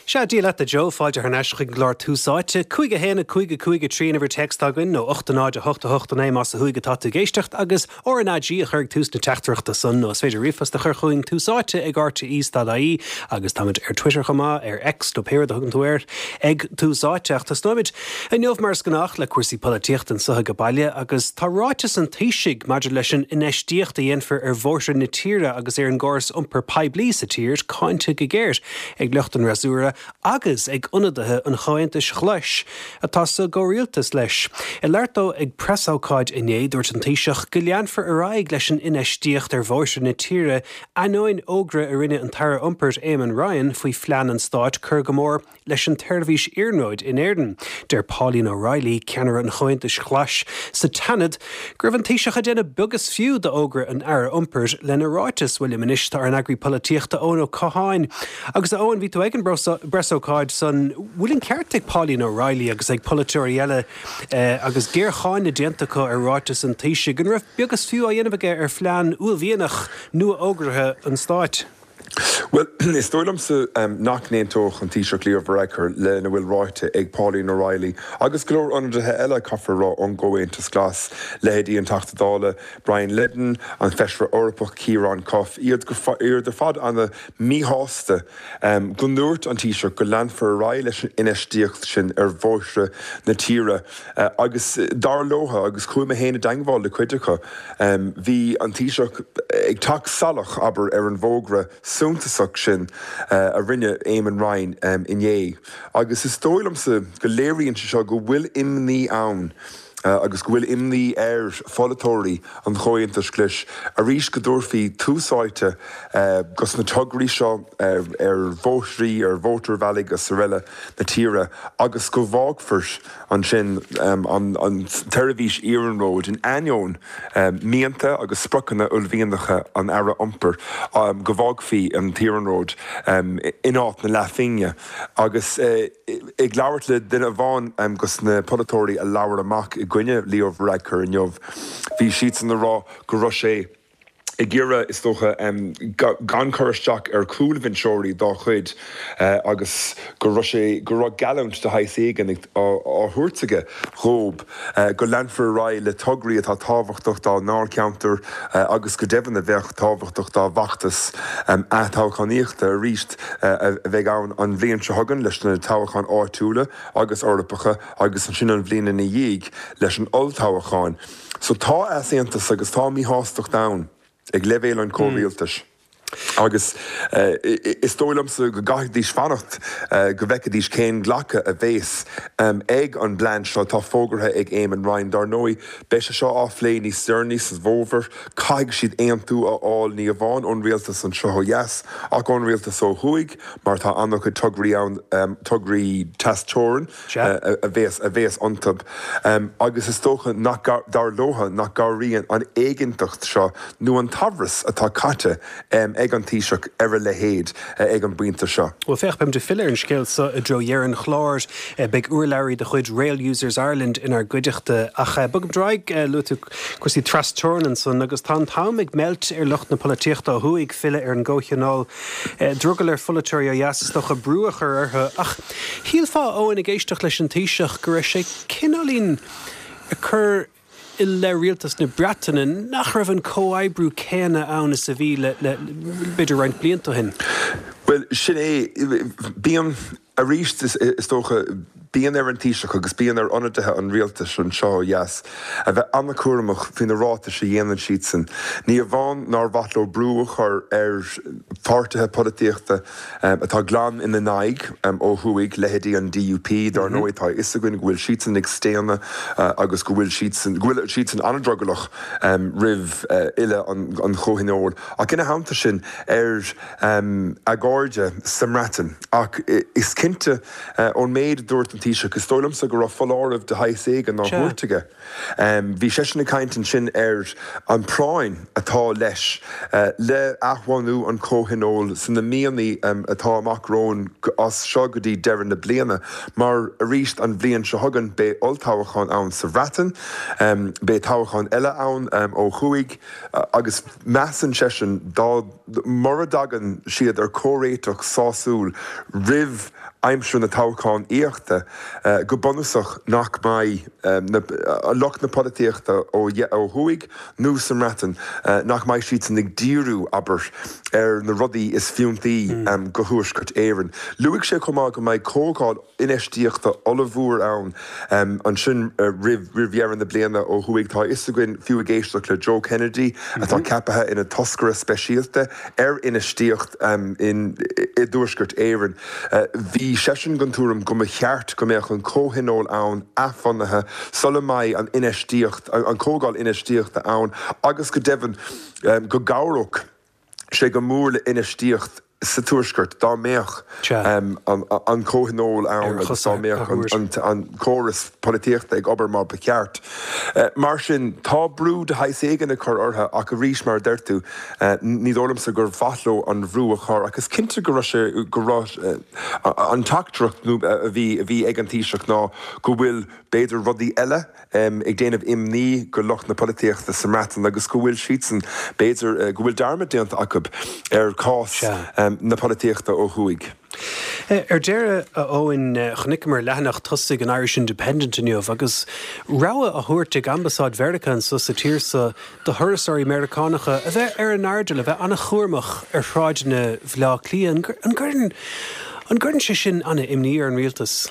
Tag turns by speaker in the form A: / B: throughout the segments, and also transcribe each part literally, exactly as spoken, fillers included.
A: Sea, Dia leat a Joe, fáilte thar n-ais chuig an gclár Tús Áite. Cúig a haon a cúig a cúig a trí an uimhir téacs atá againn nó ocht a náid a hocht a hocht a naoi más ó thuaidh atá tú ag éisteacht agus R N A G a chur ag tús na teachtaireachta san nó is féidir ríomhphost a chur chugainn Tús Áite ag R T E dot I E agus táimid ar Twitter chomh maith, ar X nó pé rud a thugann tú air, ag Tús Áite. Ach tosnóimid inniu mar is gnách le cúrsaí polaitíochta anseo ag baile agus tá ráiteas an Taoisigh maidir leis an infheistíocht a dhéanfar ar bhóithre na tíre agus ar an gcóras iompair poiblí sa tír cáinte go géar ag lucht an fhreasúra agus ag ionadaithe an Chomhaontais Ghlais atá sa gcomhrialtas leis. I labhairt dó ag preasócáid inné dúirt an Taoiseach go leanfar ar aghaidh leis an infheistíocht ar bhóithre na tíre ainneoin fhógra a rinne an tAire Iompair Eamon Ryan faoi phlean an stáit cur go mór leis an tseirbhís iarnróid in Éirinn. Deir Pauline O'Reilly, ceannaire an Chomhaontais Ghlais sa tSeanad, go raibh an Taoiseach ag déanamh beag is fiú d'fhógra an Aire Iompair lena ráiteas. Bhuel liom anois tá ár n-eagraí polaitíochta Eoin Ó Catháin. Agus a Eoin, bhí tú ag an bpreasócáid san bhfuil an ceart ag Pauline O'Reilly agus ag polaiteoirí eile eh, agus géarcháineadh déanta acu ar ráiteas an Taoisigh, an raibh beag is fiú á dhéanamh aige ar phlean uaillmhianach nua-fhógartha an stáit.
B: Well, is dóigh liomsa um, nach n-aontódh an Taoiseach Leo Varadkar lena bhfuil ráite ag Pauline O'Reilly agus go leor ionadaithe eile caithfear a rá ón gComhaontas Glas, leithéidí an Teachta Dála Brian Leddin, an Feisire Eorpach Ciarán Cuffe, iad iad ar fad an-mhíshásta um, go ndúirt an Taoiseach go leanfar ar aghaidh leis an infheistíocht sin ar bhóithre na tíre uh, agus dar leo agus chuaigh mé féin i dteagmháil le cuid acu. Um, bhí an Taoiseach ag teacht salach abair ar an bhfógra suntasach sin uh, a rinne Eamon Ryan um, inné. Agus is dóigh liomsa go léiríonn sé seo go bhfuil imní ann. Uh, agus go bhfuil imní ar pholaiteoirí an Chomhaontais Ghlais arís go dtabharfaí tús áite uh, dos na tograí seo ar, ar bhóithre ar mhótarbhealaí agus araile na tíre agus go bhfágfar ansin um, an, an tseirbhís iarnróid in ainneoin um, mianta agus spriocanna uaillmhianacha an Aire Iompair um, go bhfágfaí an t-iarnród um, in áit na leathphingne agus uh, ag labhairt le duine amháin um, dos na polaiteoirí a labhair amach i gcoinne Leo Varadkar inniu. Bhí siad ag rá go raibh sé ag iarraidh is dócha um, gan cur isteach ar chúlbhinseoirí dá chuid uh, agus go raibh sé go raibh geallúint de shaghas éigin á thabhairt aige dóibh uh, go leanfar ar aghaidh le tograí atá tábhachtach dá ndáilcheantar uh, agus go deimhin a bheadh tábhachtach dá bhfeachtas um, toghchánaíochta arís uh, a bheidh ann an bhliain seo chugainn leis na toghcháin áitiúla agus Eorpacha agus ansin an bhliain ina dhiaidh leis an olltoghchán. So tá easaontas agus tá míshástacht ann ag leibhéal an chomhrialtais. Agus uh, is dóigh liomsa go gcaithfidís fanacht uh, go bhfeicfidís cén glacadh a bheas um, ag an bplean seo atá fógartha ag Eamon Ryan dar ndóigh, beidh sé seo á phlé níos deireanaí sa bhfómhar, caithfidh siad aontú a fháil ní amháin ón rialtas anseo ó dheas ach ón rialtas ó thuaidh, mar tá an-chuid tograí ann um, tograí trasteorann uh, a bheas a bheas iontu. Um, agus is dócha nach dar leo nach gcabhraíonn an éiginnteacht seo nó an t-amhras atá caite um, ag an Taoiseach ar a leithéid ag an bpointe seo.
A: Well féach beimid ag filleadh ar an scéal seo i dtreo dheireadh an chláir beidh urlabhraí de chuid Rail Users Ireland inár gcuideachta ach bogfaimid ar aghaidh luaigh tú cúrsaí trasteorann ansan agus tá an t-am ag meilt ar lucht na polaitíochta ó thuaidh filleadh ar an gcomhthionól drogall ar pholaiteoirí ó dheas is dócha brú a chur orthu ach shílfeá Eoin ag éisteacht leis an Taoiseach go raibh sé cineáilín ag cur i leith rialtas na Breataine nach raibh an comhoibriú céanna ann is a bhí le le b'fhéidir roinnt blianta ó shin.
B: Well sin é bíonn arís is dócha bíonn ar an Taoiseach agus bíonn ar ionadaithe an rialtais anseo ó dheas a bheith an-chúramach faoi na ráitis a dhéanann siadsan. Ní amháin nár mhaith leo brú a chur ar pháirtithe polaitíochta um, atá glan ina n-aghaidh um, ó thuaidh leithéidí an D U P dar ndóigh tá a fhios againn go bhfuil siadsan ag staonadh uh, agus go bhfuil siadsan go bhfuil siadsan an-drogallach um, roimh uh, fhilleadh an, an Chomhthionóil. Ach ina theannta sin ar um, a gcairde sa mBreatain ach is cinnte uh, ón méid a dúirt an Taoiseach is dóigh liomsa go raibh foláireamh de shaghas éigin á thabhairt aige. Um, bhí seisean ag caint ansin ar an bpráinn atá leis uh, le athbhunú an Chomhthionóil sna míonna um, atá amach romhainn as seo go dtí deireadh na bliana, mar arís an bhliain seo chugainn beidh olltoghchán ann sa Bhreatain, um, beidh toghchán eile ann um, ó thuaidh uh, agus measann seisean dá mura dtagann siad ar chomhréiteach sásúil roimh aimsir na toghchánaíochta, go bunúsach nach mbeidh lucht na polaitíochta ó thuaidh nó sa mBreatain, nach mbeidh siadsan ag díriú, abair, ar na rudaí is fiúntaí go Thuaisceart Éireann. Luaigh sé chomh maith go mbeidh comhdháil infheistíochta ollmhór ann ansin roimh dheireadh na bliana ó thuaidh. Tá a fhios againn, fiú ag éisteacht le Joe Kennedy, atá ceaptha ina toscaire speisialta ar infheistíocht i dTuaisceart Éireann, bhí seisean den tuairim go mba cheart go mbeadh an comhthionól ann athbhunaithe sula mbeidh an infheistíocht, an chomhdháil infheistíochta ann agus go deimhin go gcabhródh sé go mór le infheistíocht sa Tuaisceart dá mbeadh an comhthionól ann agus dá mbeadh an córas polaitíochta ag obair mar ba cheart. Mar sin, tá brú de shaghas éigin ag cur orthu ach arís, mar a deir tú, ní dóigh liomsa gur mhaith leo an bhrú a chur ach is cinnte go raibh sé, go raibh an teachtaireacht a bhí a bhí ag an Taoiseach ná go bhfuil b'fhéidir rudaí eile ag déanamh imní go lucht na polaitíochta sa mBreatain agus go bhfuil siadsan, b'fhéidir, go bhfuil dearmad déanta acu ar chás na polaitíochta ó thuaidh.
A: Ar deireadh, a Eoin, chonaiceamar leathanach tosaigh an Irish Independent inniu agus rabhadh á thabhairt ag Ambasáid Mheiriceá anso sa tír so do thurasóirí Meiriceánacha a bheith ar a n-airdeall, a bheith an-chúramach ar shráideanna Bhaile Átha Cliath. An gcuireann An gcuireann sé sin an-imní ar an rialtas?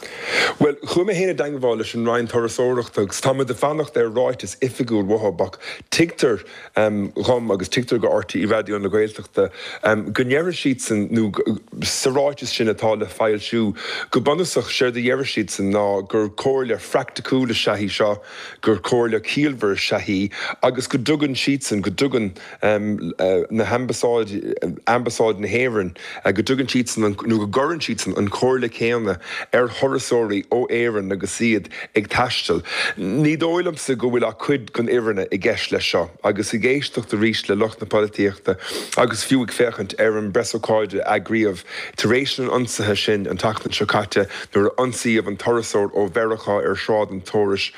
B: Bhuel, chuaigh mé féin i dteangmháil leis an Roinn Turasóireachta agus tá muid ag fanacht ar ráiteas oifigiúil uathu ach tuigtear dhom agus tuigtear go RTÉ Raidió na Gaeltachta go ndéarfaidh siadsan, nó sa ráiteas sin atá le foilsiú, go bunúsach séard a déarfaidh siadsan ná gur comhairle phraiticiúil is ea í seo, gur comhairle chiallmhar is ea í agus go dtugann siadsan, go dtugann na hambasáid, Ambasáid na hÉireann, go dtugann siadsan an, nó go gcuireann siadsan an chomhairle chéanna ar thurasóirí ó Éirinn agus iad ag taisteal. Ní dóigh liomsa go bhfuil ach cuid den fhírinne i gceist leis seo. Agus ag éisteacht arís le lucht na polaitíochta agus fiú ag féachaint ar an bpreasócáid a eagraíodh tar éis an ionsaithe sin an tseachtain seo caite nuair a ionsaíodh an turasóir ó Mheiriceá ar Shráid an Tórais,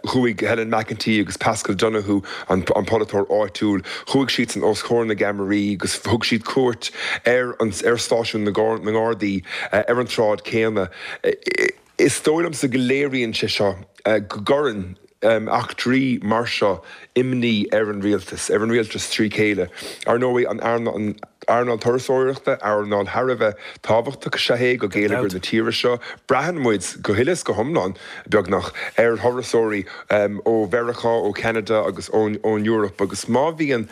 B: chuaigh Helen McEntee agus Paschal Donohoe, an polaiteoir áitiúil, chuaigh siadsan os comhair na gceamaraí agus thug siad cuairt ar ar stáisiún na nGardaí ar an tsráid chéanna. Is dóigh liomsa go léiríonn sé seo go gcuireann eachtraí mar seo imní ar an rialtas, ar an rialtas trí chéile. Ar ndóigh, an earnáil turasóireachta, earnáil thar a bheith tábhachtach is ea é go geilleagar na tíre seo. Braitheann muid go huile is go hiomlán, beagnach, ar thurasóirí ó Mheiriceá, ó Cheanada agus ón Eoraip agus má bhíonn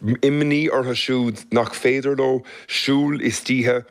B: imní orthu siúd nach féidir leo siúl istoíche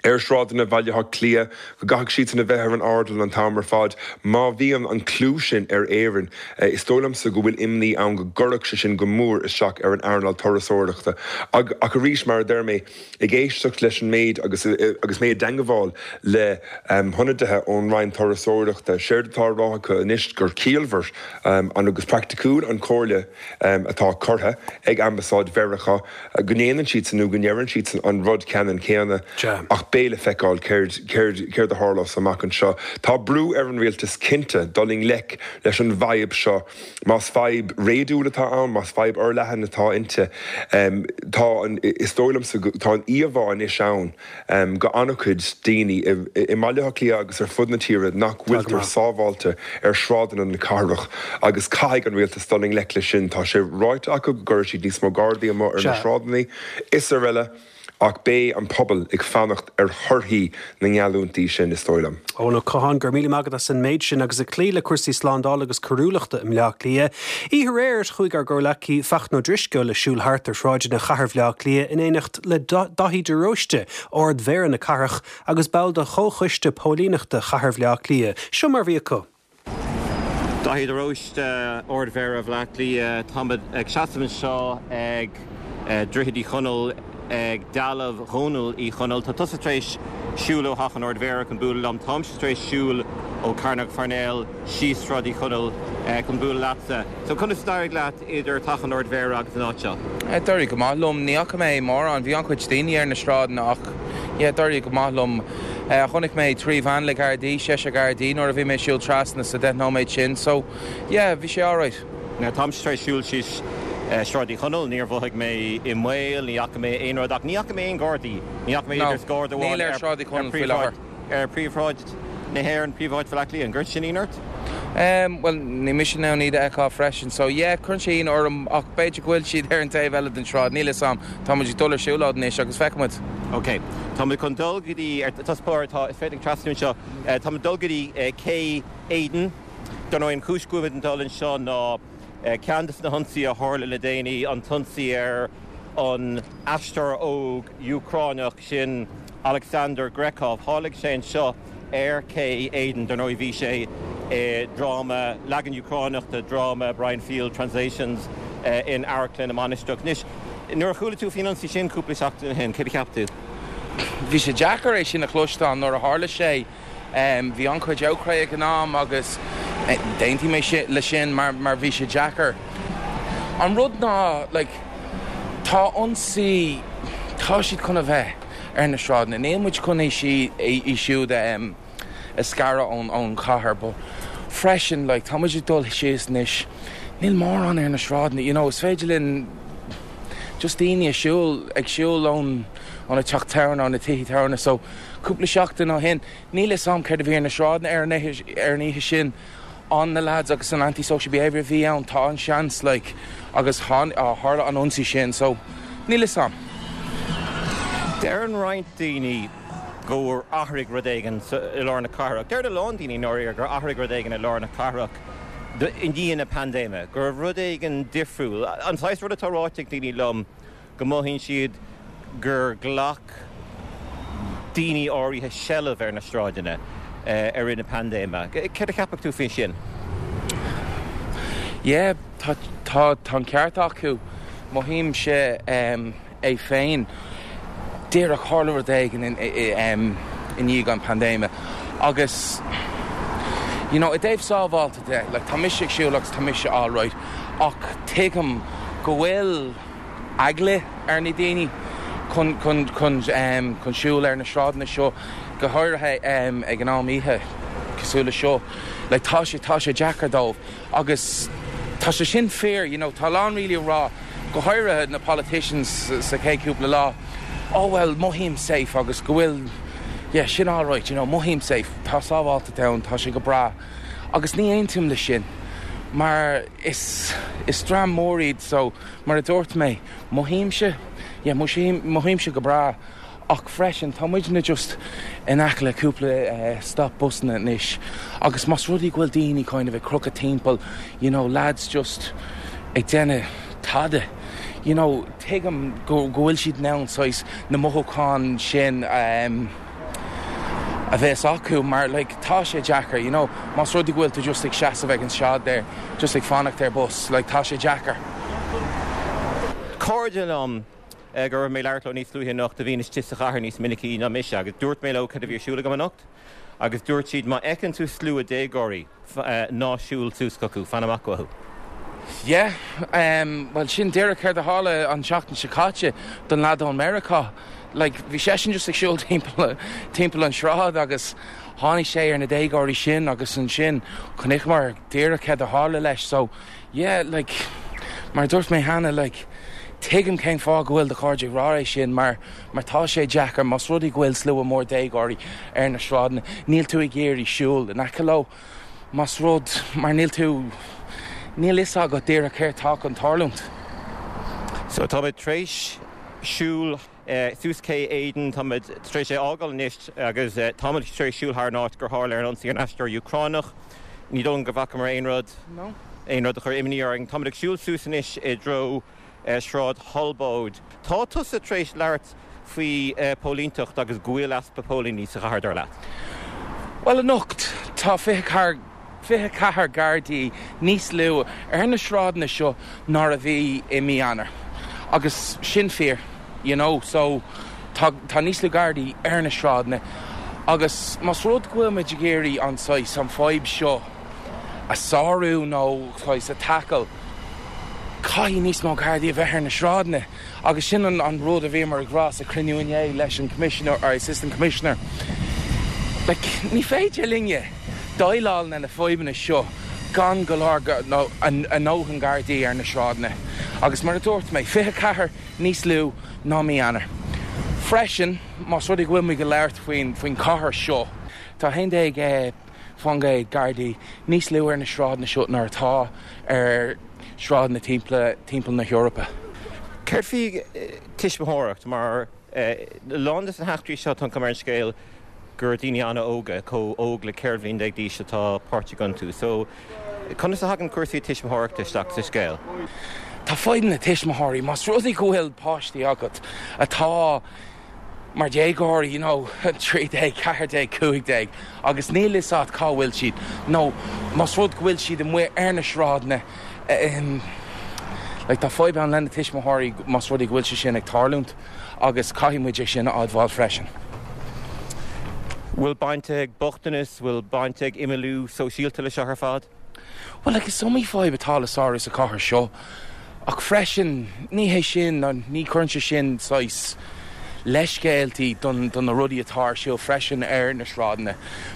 B: ar shráideanna Bhaile Átha Cliath, go gcaithfidh siadsan a bheith ar an airdeall an t-am ar fad. Má bhíonn an clú sin ar Éirinn, is dóigh liomsa go bhfuil imní ann go gcuirfeadh sé sin go mór isteach ar an earnáil turasóireachta. Ach arís, mar a deir mé, ag éisteacht leis an méid agus agus mé i dteangmháil le hionadaithe ón Roinn Turasóireachta, séard atá á rá acu anois gur ciallmhar agus praiticiúil an chomhairle atá curtha ag Ambasáid Mheiriceá, go ndéanann siadsan nó go ndeireann siadsan an rud ceannann céanna ach beidh le feiceáil céard céard céard a tharlós amach anseo. Tá brú ar an rialtas cinnte dul i ngleic leis an bhfadhb seo. Más fadhb réadúil atá ann, más fadhb fhorleathan atá inti, tá an, is dóigh liomsa go, tá an íomhá anois ann go an-chuid daoine i mBaile Átha Cliath agus ar fud na tíre nach bhfuiltear sábháilte ar shráideanna na cathrach agus caithfidh an rialtas dul i ngleic leis sin. Tá sé ráite acu go gcuirfidh siad níos mó gardaí amuigh ar na sráideanna is araile ach beidh an pobal ag fanacht ar thorthaí na ngeallúintí sin, is dóigh liom.
A: Eoin Ó Catháin, go raibh míle maith agat as an méid sin agus ag cloí le cúrsaí slándála agus coiriúlachta i mBleá Cliath. Oíche aréir, chuaigh ár gcomhghleacaí Fachtna Ó Drisceoil ag siúl thart ar shráideanna chathair Bhleá Cliath in éineacht le Daithí de Róiste, Ard-Mhéara na cathrach agus ball de Chomhchoiste Póilíneachta Chathair Bhleá Cliath. Seo mar a bhí acu.
C: Daithí de Róiste, Ard-Mhéara Bhaile Átha Cliath, Táimid ag seasamh anseo ag Droichead Uí Chonaill, ag dealbh Dhónaill Uí Chonaill. Tá tusa tar éis siúl ó Theach an Ard-Mhéara chun bualadh liom. Táimse tar éis siúl ó Cearnóg Pharnell síos Sráid Uí Chonaill chun bualadh leatsa. So conas a d'éirigh leat idir Teach an Ard-Mhéara agus an áit seo?
D: D'éirigh go maith liom. Ní fhaca mé mórán. Bhí an-chuid daoine ar na sráideanna ach yeah, d'éirigh go maith liom. Chonaic mé trí veain le Gardaí, seisear Gardaí nuair a bhí mé ag siúl trasna sa deich nóiméad sin so yeah, bhí sé alright.
C: Now táimse tar éis siúl síos Sráid Uí Chonaill, níor mhothaigh mé i mbaol, ní fhaca mé aon rud ach ní fhaca mé aon Ghardaí, ní fhaca mé
D: No,
C: idir garda
D: níl
C: amháin
D: ar
C: ar
D: Shráid Uí
C: ar
D: Chonaill faoi
C: príomhshráid
D: láthair.
C: ar príomhshráid na hÉireann, príomhshráid Bhaile Átha Cliath, an gcuireann sin ionadh ort?
D: Um, well ní mise ná iad a fheiceáil freisin, so yeah, cuireann sé ionadh orm ach b'fhéidir go bhfuil siad ar an taobh eile den sráid, níl a fhios agam tá muid ag dul ar siúlóid anois agus feicfimid.
C: Ok, Tá muid chun dul go dtí ar tospóir tá is féidir trasnú seo Tá muid dul go dtí Cé Éadain Dar ndóigh an chúis go bhfuil muid ag dul anseo ná ceann de na hionsaithe a tharla le déanaí an t-ionsaí ar an aisteoir óg Úcránach sin Alexander Grekov tháinig sé anseo ar Cé Éadain dar ndóigh bhí sé i dráma leagan Úcránach de dráma Brian Field Translations in Amharclann na Mainistreach. Anois nuair a chuala tú faoin ionsaí sin cúpla seachtain ó shin céard a cheap tú.
D: Bhí sé deacair é sin a chloisteáil nuair a tharla sé um, bhí an-chuid ocrais ag an am agus d'aontaigh mé le sin mar mar bhí sé deacair. An rud ná like, tá ionsaí tá siad chun a bheith ar na sráideanna. Níl muid chun é si í siúd um, a scaradh ón ón chathair, but freisin like, tá muid ag dul síos anois níl mórán ar na sráideanna, you know, is féidir linn just daoine ag siúl ag siúl ón ón a teach tábhairne na tithe tábhairne so cúpla seachtain ó shin níl a fhios agam céard a bhí ar na sráideanna ar ar an oíche sin an na lads agus an anti-social behavior bhí ann tá an seans like, agus tharla an ionsaí sin so níl a fhios agam.
C: Deireann roinnt daoine gur athraigh rud éigin i lár na cathrach. Deir a lán daoine nóir gur athraigh rud éigin i lár na cathrach i ndiaidh na paindéime, gur rud éigin difriúil. An saghas rud atá ráite ag daoine liom go mothaíonn siad gur ghlac daoine áirithe seilbh ar na sráideanna i rith na paindéime. Céard a cheapann tú faoi sin?
D: Yeah, tá tá an ceart acu mothaím sé um, é féin. Díreach tharla rud éigin i ndiaidh an paindéime agus you know, i dtaobh sábháilte de, like, tá mise ag siúl agus tá mise alright ach tuigim go bhfuil eagla ar na daoine chun chun chun um, chun siúl ar na sráideanna seo go háirithe um, ag an am oíche cosúil le seo like, tá sé tá sé deacair dóibh agus tá sé sin fíor you know, tá lán really rá go háirithe na politicians sa chéad cúpla lá oh well mothaím safe agus go bhfuil yeah, sin alright you know, mothaím safe tá sábháilte ann tá sé go breá agus ní aontaím le sin mar is is dream mór iad so mar a dúirt mé mothaímse yeah, mothaímse go breá ach freisin tá muidne just in aice le cúpla uh, stop busanna anois agus más rud é go bhfuil daoine kind of ag crochadh timpeall you know lads just ag déanamh tada you know tuigim go go bhfuil siad ann saghas na mothúcháin sin um, a bheith acu mar like, tá sé deacair you know más rud é go bhfuil tú just ag seasamh ag an sráid there just ag fanacht ar bus like, tá sé deacair.
C: Cairde liom go raibh mé leir níos luaithe anocht a bhíonn istigh sa chathair níos minicí ná mise agus dúirt mé leo cad a bhí ar siúl agam anocht agus dúirt siad má fheiceann tú slua déagóirí ná siúil suas chucu fan amach uathu.
D: Yeah, um, well sin díreach céard a tharla an seachtain seo caite don lad ón Meiriceá. Like, bhí seisean just ag siúl timpeall timpeall an sráid agus tháinig sé ar na déagóirí sin agus ansin chonaiceamar díreach céard a tharla leis so yeah, like, mar dúirt mé cheana like, tuigim cén fáth go bhfuil do chairde ag rá é sin mar mar tá sé deacair más rud é go bhfuil slua mór déagóirí ar na sráideanna níl tú ag iarraidh siúl in aice leo más rud mar níl tú níl a fhios agat díreach céard atá chun tarlúint.
C: So tá tar éis siúl uh, suas Cé Éadain tá tar éis é fhágáil anois agus uh, tá tar éis siúl thar an áit gur tharla an ionsaí an aisteoir Úcránach. Ní dóigh go bhfacamar aon rud
D: No.
C: aon rud a chuir imní orainn Tá ag siúl suas anois i dtreo uh, Sráid Thalbóid. Tá tusa tar éis labhairt faoi uh, póilíneacht agus go bhfuil easpa póilíní sa chathair dar leat.
D: Well anocht tá fiche ceathair fiche ceathair Gardaí níos lú ar na sráideanna seo ná a bhí i mí Eanáir. Agus sin fíor, you know, so tá, tá níos lú Gardaí ar na sráideanna. Agus más rud go bhfuil muid ag iarraidh an saghas an fhadhb seo a sárú nó saghas a tackle, Caithfidh níos mó Gardaí a bheith ar na sráideanna agus sin an, an rud a bhí mar ag rá sa chruinniú inné leis an commissioner or assistant commissioner. Like, ní féidir linne déileáil na na fadhbanna seo gan go leor nó an dóthain Gardaí ar na sráideanna. Agus mar a dúirt mé fiche ceathair níos lú ná mí Eanáir. Freisin más rud é go bhfuil muid ag labhairt faoin faoin chathair seo, Tá haon déag faoin gcéad Gardaí níos lú ar na sráideanna seo ná atá ar sráideanna timpeall timpeall na hEorpa.
C: Céard faoi tuismitheoireacht mar a lán de na heachtraí seo tá an chuma ar an scéal gur daoine an-óga, chomh óg le ceithre bhliain déag d'aois atá páirteach iontu. So conas a thagann cúrsaí tuismitheoireachta isteach sa scéal?
D: Tá fadhb na tuismitheoirí, más rud é go bhfuil páistí agat atá mar déagóirí, you know, trí déag, ceathair déag, cúig déag, agus níl fhios agat cá bhfuil siad, nó más rud go bhfuil siad amuigh ar na sráideanna, like, tá fadhb ann lena tuismitheoirí más rud é go bhfuil sé sin ag tarlúint agus caithfidh muid é sin a admháil freisin.
C: Bhfuil baint ag bochtanas, bhfuil baint ag imeallú sóisialta le seo ar fad?
D: Well, like, is iomaí fadhb atá le sárú sa chathair seo, ach freisin ní hé sin ní chuireann sé sin saghas leithscéaltaí don don na rudaí atá ar siúl freisin ar na sráideanna,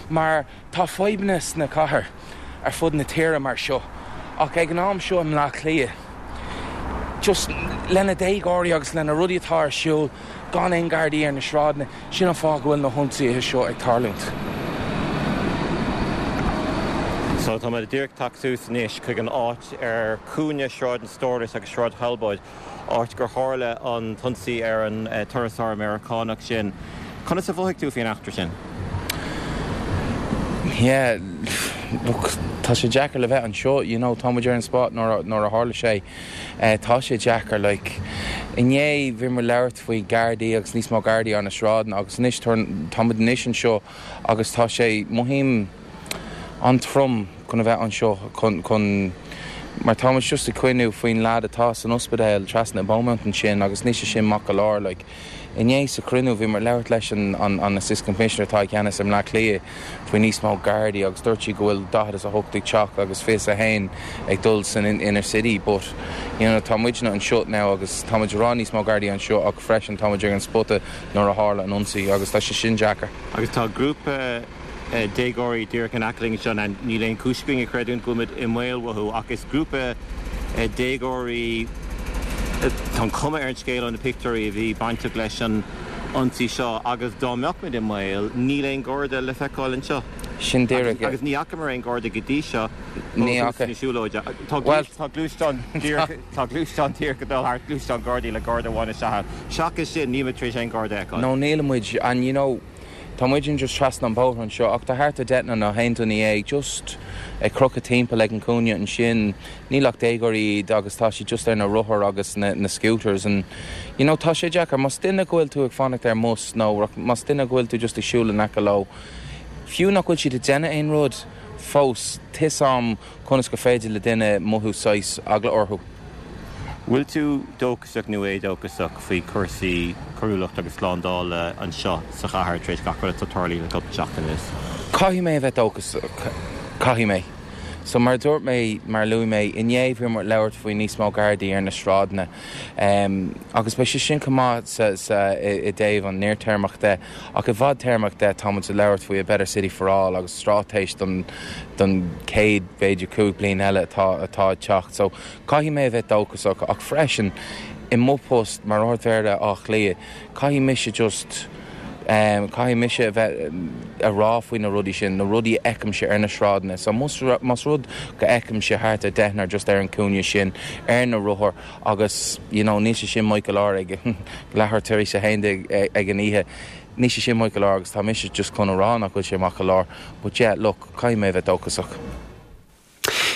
D: mar tá fadhbanna sna cathair ar fud na tíre mar seo, ach ag an am seo i mBleá Cliath, just lena déagóirí agus lena rudaí atá ar siúl gan aon Gardaí ar na sráideanna, sin an fáth go bhfuil na hionsaithe seo ag tarlúint.
C: So tá muid díreach tagtha suas anois chuig an áit ar chúinne Sráid an Stórais agus Sráid Thalbóid, áit gur tharla an t-ionsaí ar an turasóir Meiriceánach sin. Conas a mhothaigh tú faoin eachtra sin?
D: Yeah, look, tá sé deacair le bheith anseo, you know, tá muid ar an spot nuair nuair a tharla sé. Uh, tá sé deacair, like, inné bhí muid labhairt faoi Gardaí agus níos mó Gardaí ar na sráideanna agus anois tá muid anois anseo agus tá sé mothaím an-trom chun a bheith anseo chun chun mar tá muid just ag cuimhniú faoin lad atá san ospidéal trasna i Beaumont ansin agus níl sé sin maith go leor like inné sa chruinniú bhí muid labhairt leis an an an assistant commissioner atá i gceannas i mBleá Cliath faoi níos mó Gardaí agus dúirt sí go bhfuil daichead is a hocht ag teacht agus fiche a haon ag dul san inner city but you know tá muidne anseo now agus tá muid ag rá níos mó Gardaí anseo ach freisin tá muid ar an spota nuair a tharla an ionsaí agus tá sé sin deacair.
C: Agus tá grúpa déagóirí díreach in aice linn anseo, níl aon chúis againn a chreidiúint go bhfuil muid i mbaol uathu ach is grúpa déagóirí, tá an chuma ar an scéal ó na pictiúirí a bhí bainteach leis an ionsaí seo agus dá mbeadh muid i mbaol, níl aon Gharda le feiceáil anseo.
D: Sin díreach
C: é. Agus ní fhacamar aon Gharda go dtí seo
D: Ní fhaca.
C: na siúlóide. Tá gluaisteán díreach tá gluaisteán díreach ag dul thart, gluaisteán Gardaí le Garda amháin isteach ann. Seachas sin, níl muid tar éis aon Gharda a fheiceáil.
D: No, níl muid and you know, Tá muidne just trasna an bóthar anseo ach tá thart ar deichniúr nó aon duine dhéag just ag crochadh timpeall ag an cúinne ansin. Níl ach déagóirí iad agus tá siad just ar na rothair agus na na scooters and you know tá sé deacair más duine go bhfuil tú ag fanacht ar an mbus nó más duine go bhfuil tú just ag siúl in aice leo, fiú nach bhfuil siad ag déanamh aon rud fós, tá 'fhios a'm conas gur féidir le duine mothú saghas eagla orthu.
C: Bhfuil tú dóchasach nó éadóchasach faoi chúrsaí coiriúlacht agus slándála anseo sa chathair tar éis gach rud atá tarlaithe le cúpla seachtain anuas?
D: Caithfidh mé a bheith dóchasach. Caithfidh mé. So mar a dúirt mé, mar a luaigh mé, inné bhí muid ag labhairt faoi níos mó Gardaí ar na sráideanna agus beidh sé sin chomh maith sa, sa, i dtaobh an fhadtéarmach de ach i bhfadtéarmach de tá muid ag labhairt faoi a better city for all agus straitéis don, don chéad b'fhéidir cúig bliain eile atá, atá ag teacht. So Caithfidh mé a bheith dóchasach ach freisin i mo post mar Ard-Mhéara Átha Cliath caithfidh mise just em caithfidh mise a bheith a rá faoi na rudaí sin, na rudaí a fheicimse ar na sráideanna. So más más rud go fheicimse thart ar deichniúr just ar an cúinne sin ar na rothair agus you know níl sé sin maith go leor ag leathuair tar éis a haon déag ag an oíche, níl sé sin maith go leor agus tá mise just chun a rá nach bhfuil sé maith go leor but yeah look caithfidh mé a bheith dóchasach.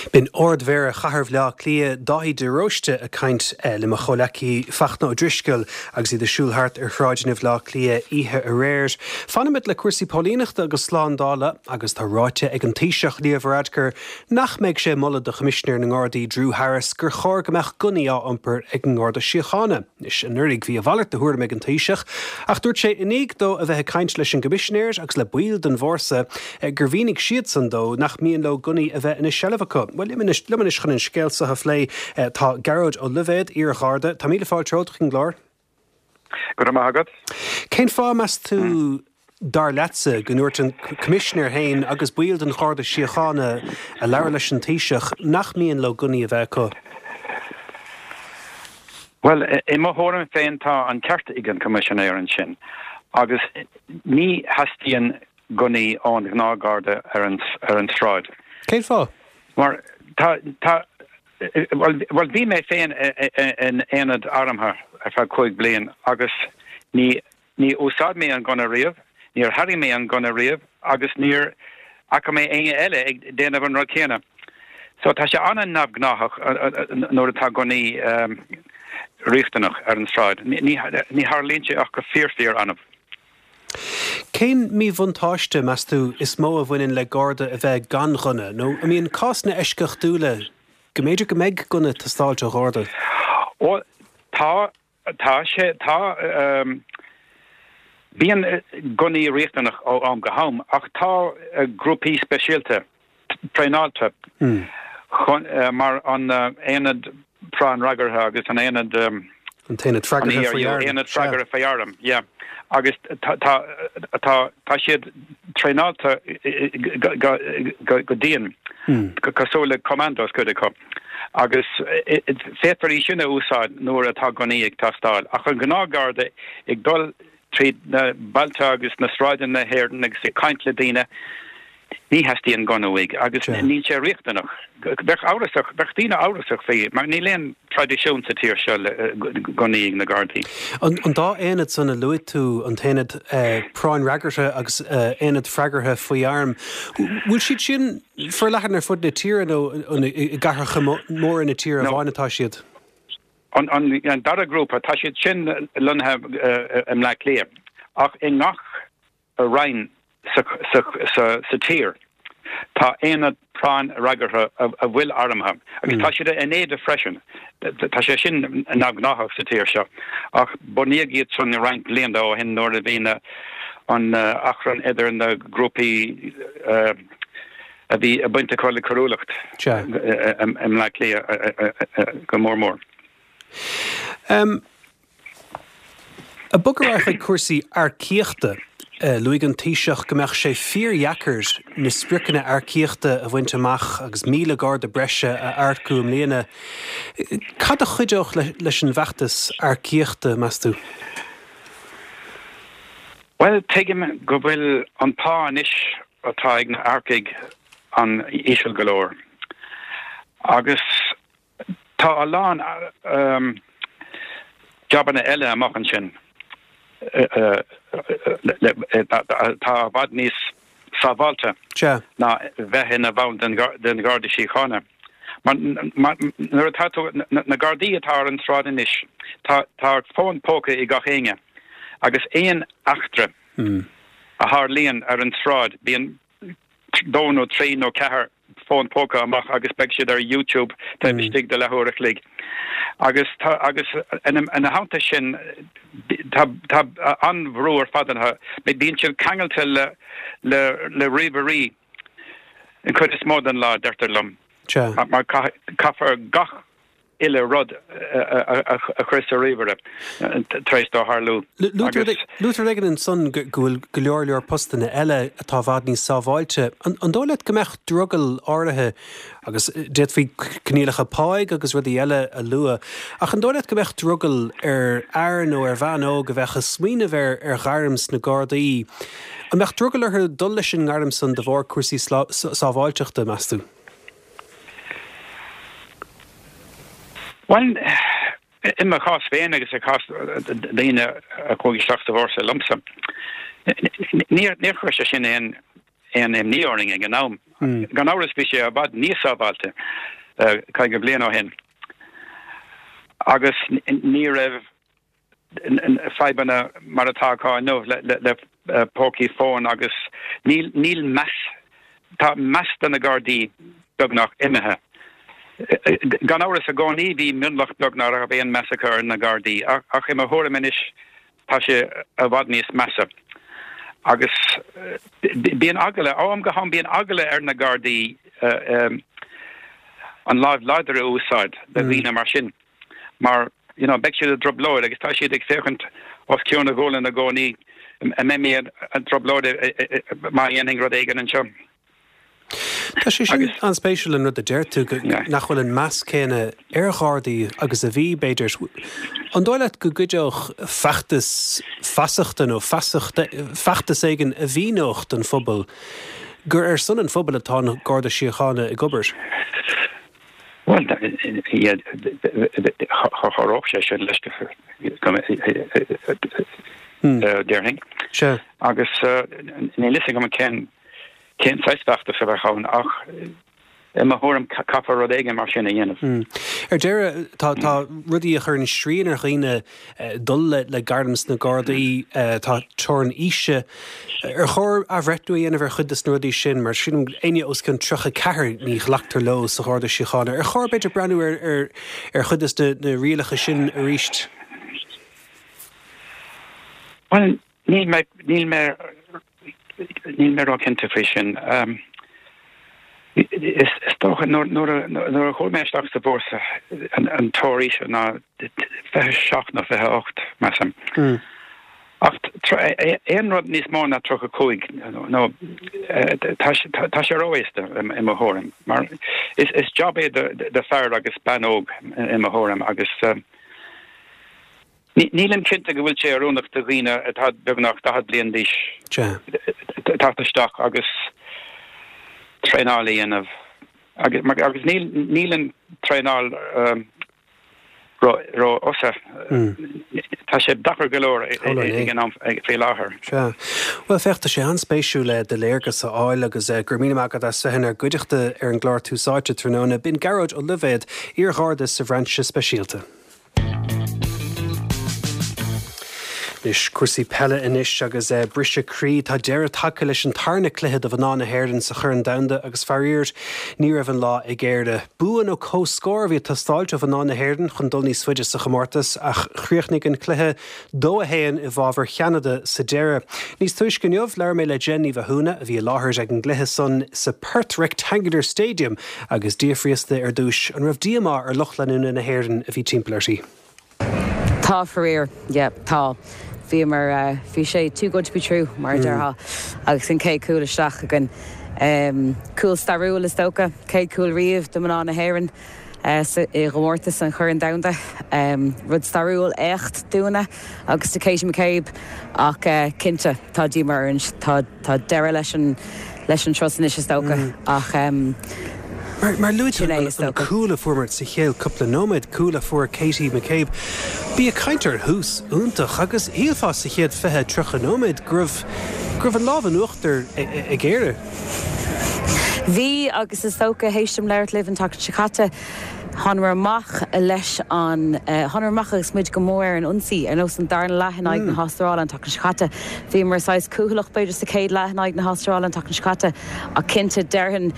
A: B'in Ard-Mhéara Chathair Bhaile Átha Cliath, Dáithí de Róiste ag caint le mo chomhleacaí Fachtna Ó Drisceoil agus iad ag siúl thart ar shráideanna Bhaile Átha Cliath oíche aréir. Fanfaimid le cúrsaí póilíneachta agus slándála agus tá ráite ag an Taoiseach Leo Varadkar nach mbeidh sé ag moladh do Choimisinéir na nGardaí Drew Harris gur chóir go mbeadh gunnaí á iompar ag an nGarda Síochána. Anois, anuraidh bhí a mhalairt de thuairim ag an Taoiseach ach dúirt sé i ndiaidh dó a bheith ag caint leis an gCoimisinéir agus le baill den bhfórsa gur mhínigh siadsan dó nach mian leo gunnaí a bheith ina seilbh acu. Bhuel, liom anois, liom anois chun an scéal seo a phlé tá Gearóid Ó Loibhéad, iar-Gharda. Tá míle fáilte romhat chuig an gclár.
E: Go raibh maith agat.
A: Cén fáth, meas tú, dar leatsa, go ndúirt an Coimisinéir féin agus baill den Gharda Síochána a labhair leis an Taoiseach nach mian leo gunnaí a bheith acu?
E: Bhuel, i mo thuairim féin tá an ceart ag an Coimisinéir ansin agus ní theastaíonn gunnaí ón ghnáthgharda ar an ar an tsráid.
A: Cén fáth?
E: Mar tá tá well bhí mé féin in aonad armtha ar feadh cúig bliain agus ní ní úsáid mé an gunna riamh, níor tharraing mé an gunna riamh agus níor fhaca mé éinne eile ag déanamh an rud céanna. So tá sé an-neamhghnáthach nuair atá gunnaí riachtanach ar an tsráid. Ní tharlaíonn sé ach go fíor fíor annamh.
A: Cén míbhuntáiste meas tú is mó a bhaineann le garda a bheith gan ghunna, nó an mbíonn cásanna eisceachtúla go mb'fhéidir go mbeidh gunna ag teastáil ó gharda?
E: Ó tá tá sé tá um, bíonn gunnaí riachtanach ó am go ham ach tá uh, grúpaí speisialta traenáilte mm. chun, uh, mar an uh, aonad práinnfhreagartha agus an aonad um,
A: an t-aonad freagartha faoi
E: arm aonad freagartha faoi arm yeah agus tá tá tá siad traenáilte go go dian hmm. cosúil le commandos cuid acu agus féadfar í sin a úsáid nuair atá gunnaí ag teastáil ach an gnáthgharda ag dul trí na bailte agus na sráideanna na hÉireann agus ag caint le daoine ní theastaíonn gunna uaidh agus níl sé riachtanach. Bheadh amhrasach bheadh daoine amhrasach faoi mar níl aon traidisiún sa tír seo le gunnaí ag na Gardaí.
A: An dá aonad san a luaigh tú an t-aonad eh, práinnfhreagartha agus eh, aonad freagartha faoi arm. Bhfuil siad sin forleathan ar fud na tíre nó i gcathracha móra na tíre amháin atá siad?
E: An, an, an dara grúpa tá siad sin lonnaithe uh, i mBleá Cliath ach i ngach roinn sa, sa, sa, sa tír. Tá aonad práinnfhreagartha a, a bhfuil armtha agus mm. tá siad in éide freisin. Tá sé sin neamhghnách sa tír seo ach bunaíodh iad san roinnt blianta ó shin nuair a bhí an uh, achrann idir na grúpaí uh, a bhí a baint acu le coiriúlacht i mBleá Cliath go mór mór.
A: Um, ag bogadh chuig cúrsaí earcaíochta uh, luaigh an Taoiseach go mbeadh sé fíordheacair na spriocanna earcaíochta a bhaint amach agus míle garda breise a earcú i mbliana. Cad a chuideodh le, leis an bhfeachtas earcaíochta meas tú?
E: Well tuigim go bhfuil an pá anois atá ag na hearcaigh an-íseal go leor. Agus tá a lán um, jabanna eile amach ansin tá i bhfad níos sábháilte ná bheith ina bhall den den Gharda Síochána. Nuair atá na Gardaí atá ar an tsráid anois tá tá fón póca ag gach éinne agus aon eachtra
A: mm.
E: a tharlaíonn ar an tsráid bíonn dó nó trí nó ceathair fón póca amach agus beidh siad ar YouTube taobh mm. istigh de leathuair a chloig. Agus tá agus ina theannta sin tá tá an-bhrú ar fad orthu bíonn siad ceangailte le le le ríomhairí an chuid is mó den lá deirtear liom. Mar caithfear gach uile rud a chur sa ríomhaire tar éis dó tharlú.
A: Luaitear ag an san go bhfuil go leor leor postanna eile atá i bhfad níos sábháilte. An dóigh leat go mbeadh drogall áirithe agus d'fhéadfaí coinníollacha páigh agus rudaí eile a lua, ach an dóigh leat go mbeadh drogall ar fhear nó ar bhean óg a bheadh ag smaoineamh ar ar ghairm sna Gardaí. An mbeadh drogall orthu dul leis an ngairm san de bharr cúrsaí sábháilteachta meas tú?
E: Well, i mo chás féin agus i gcás daoine a chuaigh isteach sa bhfórsa liomsa, níor níor chuir sé sin aon aon imní orainn ag an am. Hmm. Gan amhras bhí sé i bhfad níos sábháilte caoga bliain ó shin. Agus ní raibh fadhbanna mar atá acu inniu le pócaí fóin agus níl níl meas tá meas do na Gardaí beagnach imithe. Gan amhras i gcónaí bhí mionlach beag nach raibh aon meas acu ar na Gardaí ach i mo thuairim anois tá sé i bhfad níos measa. Agus bíonn eagla ó am go ham bíonn eagla ar na Gardaí an lámh láidir a úsáid le daoine mar sin. Mar you know, beidh siad i dtrioblóid agus tá siad ag féachaint os cionn a gualann i gcónaí an mbeidh mé i dtrioblóid má dhéanfainn rud éigin anseo.
A: Tá sé sin an-spéisiúil an rud a deir tú nach bhfuil an meas céanna ar Ghardaí agus a bhí b'fhéidir. An dóigh leat go gcuideodh feachtas feasachta nó feachtas éigin a mhíneodh don phobal gur ar son an phobail atá an Garda Síochána ag obair?
E: Bhuel, chabhródh sé sin leis déarfainn. Agus níl a fhios agam cén cén saghas feachtas a bheadh ann ach i mo thuairim caithfear rud éigin mar sin a dhéanamh.
A: Ar deireadh, tá tá rudaí a chuireann srian ar dhaoine dul le le gairm sna Gardaí, tá teorainn aoise. Ar chóir athbhreithniú a dhéanamh ar chuid de na rudaí sin, mar sin éinne os cionn tríocha ceathair ní ghlactar leo sa Gharda Síochána. Ar chóir b'fhéidir breathnú ar ar ar chuid de na rialacha sin arís?
E: Bhuel, níl mé níl mé níl mé ró-chinnte faoi sin. Is dócha nuair a chuaigh mé isteach sa bhfórsa an teorainn aoise ná fiche seacht nó fiche ocht, measaim. Ach aon rud níos mó ná tríocha cúig nó tá sé ró-aosta i mo thuairim. Mar is job é do fear agus bean óg i mo thuairim agus Nílim cinnte go bhfuil sé oiriúnach do dhaoine atá beagnach daichead bliain d'aois teacht isteach agus traenáil a dhéanamh. Agus níl an traenáil ró-fhada. Tá sé deacair go leor ag an am faoi láthair.
A: Sea. Bhuel, féach, tá sé an-spéisiúil do léargas a fháil agus go raibh míle maith agat as bheith inár gcuideachta ar an gclár Tús Áite tráthnóna. B'in Gearóid Ó Loibhéad, iar-Gharda sa Bhrainse Speisialta. Anois, cúrsaí peile anois agus briseadh croí. Tá deireadh tagtha leis an tarna cluiche do mhná na hÉireann sa Chorn Domhanda agus faraor, ní raibh an lá ag Éire. Bua nó comhscór a bhí ag teastáilt ó mhná na hÉireann chun dul níos faide sa chomórtas ach chríochnaigh an cluiche dó a haon i bhfabhar Cheanada sa deireadh. Níos túisce inniu, labhair mé le Jen Ní Mhathúna a bhí i láthair ag an gcluiche san sa Perth Rectangular Stadium agus d'fhiafraíos di ar dtús an raibh díomá ar lucht leanúna na hÉireann a bhí timpeall uirthi.
F: Tá faraor, yeah, tá. Bhíomar, bhí sé too good to be true, mar a déarfá, agus an chéad cúl isteach againn. Cúl stairiúil is dócha, céad cúl riamh do mná na hÉireann i gcomórtas an Choirn Domhanda. Rud stairiúil, éacht dúinne agus do Katie McCabe ach cinnte tá díomá orainn, tá deireadh leis an leis an turas anois is dócha ach
A: Mar luaigh tú an cúl a fuaireamar sa chéad cúpla nóiméad, cúl a fuair Katie McCabe, bí ag caint ar thús iontach agus shílfeá sa chéad fiche, tríocha nóiméad go raibh go raibh an lámh in uachtar ag Éire.
F: Bhí agus is dócha, théis dom labhairt libh an tseachtain seo caite, Thánamar amach leis an, thánamar amach agus muid go mór ar an ionsaí, ar nós an darna leath in aghaidh na hAstráile an tseachtain seo caite. Bhíomar saghas cúthaileach b'fhéidir sa chéad leath in aghaidh na hAstráile an tseachtain seo caite ach cinnte déarfainn,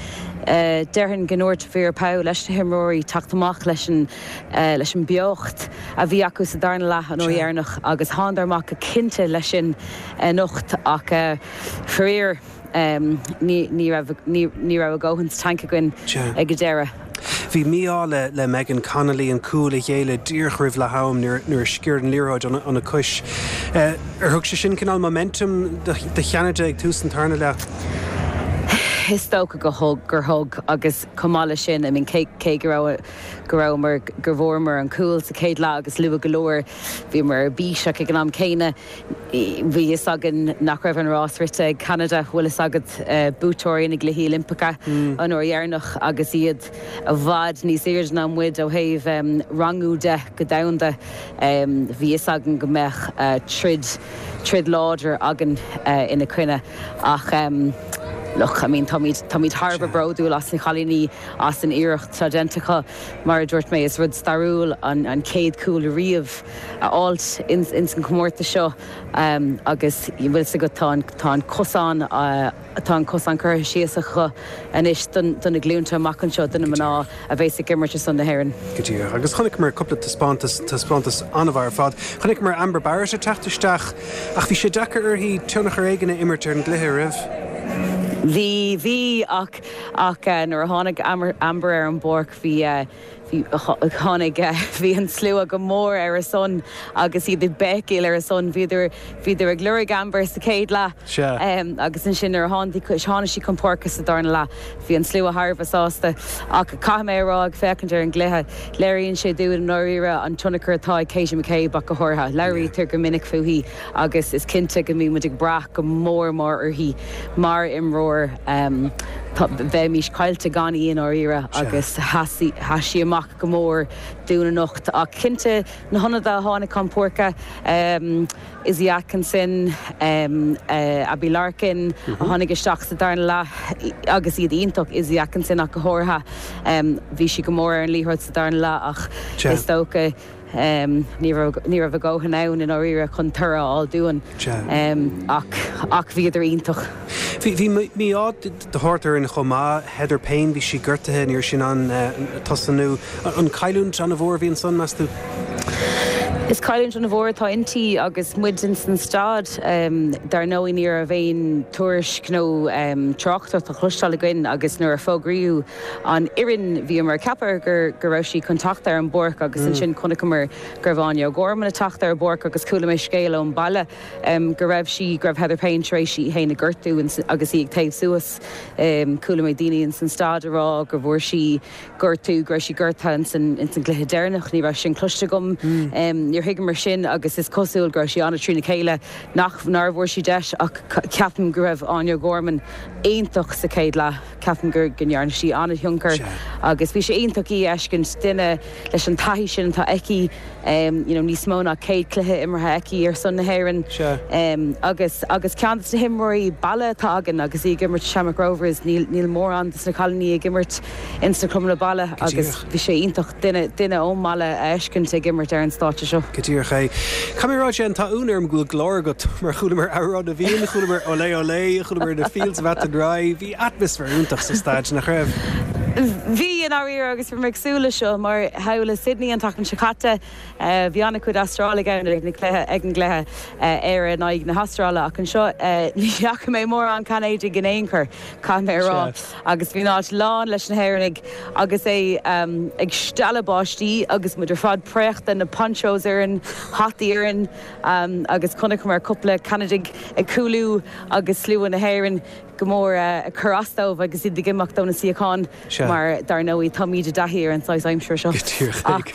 F: déarfainn go ndúirt Vera Pauw leis na himreoirí teacht amach leis an, leis an beocht a bhí acu sa darna leath an uair dheireanach agus thánadar amach go cinnte leis sin anocht ach faraor. Ní raibh ní raibh a dhóthain sa tanc againn ag an deireadh.
A: Bhí mí-ádh le le Megan Connolly an cúl a ghéilleadh díreach roimh leath am nuair a sciorr an liathróid óna cois. Ar thug sé sin cineál momentum do Cheanada ag tús an tarna leath?
F: Is dócha go thug, gur thug agus chomh maith leis sin, I mean cé cé go raibh go rabhamar go bhfuaireamar an cúl sa chéad leath agus luath go leor bhíomar ar bís ach ag an am céanna Bhí fhios againn nach raibh an rás rite ag Ceanada, bhfuil fhios agat, buaiteoirí na gCluichí Oilimpeacha an uair dheireanach agus iad i bhfad níos airde ná muid ó thaobh rangú de go domhanda. Bhí fhios againn go mbeadh troid, troid láidir againn ina coinne ach look, I mean táimid, táimid thar a bheith bródúil as na cailíní, as an iarracht atá déanta acu. Mar a dúirt mé, is rud stairiúil an chéad chúl riamh a fháilt ins an chomórtas seo agus bhfuil fhios agat tá an tá an cosán tá an cosán curtha síos acu anois do na glúnta amach anseo, do na mná a bheas ag imirt ar son na hÉireann.
A: Go díreach. Agus chonaiceamar cúpla taispeántas, taispeántas an-mhaith ar fad. Chonaiceamar Amber Barrett ag teacht isteach ach bhí sé deacair uirthi tionchar éigin a imirt ar an gcluiche, raibh?
F: Bhí, bhí ach ach nuair a tháinig Amber ar an bpáirc bhí Bhí tháinig bhí an slua go mór ar a son agus iad ag béicíl ar a son bhíodar bhíodar ag lorg Amber sa chéad leath agus ansin nuair a tháinig tháinig sí chun páirce sa darna leath bhí an slua thar a bheith sásta ach caithfidh mé a rá ag féachaint ar an gcluiche léiríonn sé dúinn i ndáiríre an tionchar atá ag Katie McCabe ach go háirithe. Labhraítear go minic fúithi agus is cinnte go mbíonn muid ag brath go mór mór uirthi mar imreoir. Bheimis caillte gan í i ndáiríre agus sheas sí amach go mór dúinn anocht. Ach cinnte na hionadaithe a tháinig chun páirce, Izzy Atkinson, Abbie Larkin a tháinig isteach sa darna leath agus iad iontach, Izzy Atkinson ach go háirithe. Bhí sí go mór ar an liathróid sa darna leath ach is dócha ní raibh a dhóthain ann i ndáiríre chun toradh a fháil dúinn ach ach bhíodar iontach.
A: Bhí mí-ádh de shórt orainn chomh maith, Heather Payne, bhí sí gortaithe, ní raibh sí in ann tosnú. An cailliúint an-mhór a bhí ansan, meas tú?
F: Is cailliúint an-mhór atá inti agus muid ins an staid. Dar ndóigh ní raibh aon tuairisc nó tráchtaireacht á chloisteáil againn agus nuair a fógraíodh an fhoireann bhíomar ag ceapadh gur go raibh sí chun teacht ar an bpáirc agus ansin chonaiceamar go raibh Áine O'Gorman ag teacht ar an bpáirc agus chuala mé scéal ón baile go raibh sí, go raibh Heather Payne tar éis í féin a ghortú agus í ag téamh suas. Chuala mé daoine ins an staid ag rá go bhfuair sí gortú, go raibh sí gortaithe ins an gcluiche deireanach. Ní raibh sin cloiste agam. Níor thuigeamar sin agus is cosúil go raibh sí an-trína chéile nach, nár bhfuair sí deis ach ceapaim go raibh Áine O'Gorman iontach sa chéad leath. Ceapaim go ndearna sí an-thionchar agus bhí sé iontach í a fheiscint, duine leis an taithí sin atá aici, you know, níos mó ná céad cluiche imeartha aici ar son na hÉireann agus agus ceann de na himreoirí baile atá againn agus í ag imirt Shamrock Rovers, níl níl mórán de na cailíní ag imirt ins na clubanna baile agus bhí sé iontach duine duine ón mbaile a fheiscint ag imirt ar an stáitse seo.
A: Go díreach é. Caithfidh mé a rá, Jen, tá ionadh orm go bhfuil glór agat mar chualamar Amhrán na bhFiann, chualamar Olé Olé, chualamar The Fields of Athenry, bhí atmaisféar iontach sa staid, nach raibh?
F: Bhí, i ndáiríre, agus bhí mé ag súil leis seo mar thall i Sydney an tseachtain seo caite, bhí an-chuid Astrálaigh ann ag na cluiche, ag an gcluiche Éire in aghaidh na hAstráile ach anseo ní fhaca mé mórán Canadaigh in aon chor, caithfidh mé a rá, agus bhí an áit lán leis na hÉireannaigh agus é ag stealladh báistí agus muid ar fad préachta, na ponchos orainn, hataí orainn agus chonaiceamar cúpla Ceanadaigh ag cúlú agus slua na hÉireann. go mór ag cur as dóibh agus iad ag imeacht ó na suíocháin mar dar ndóigh táimid i dtaithí ar an saghas aimsire seo. Ach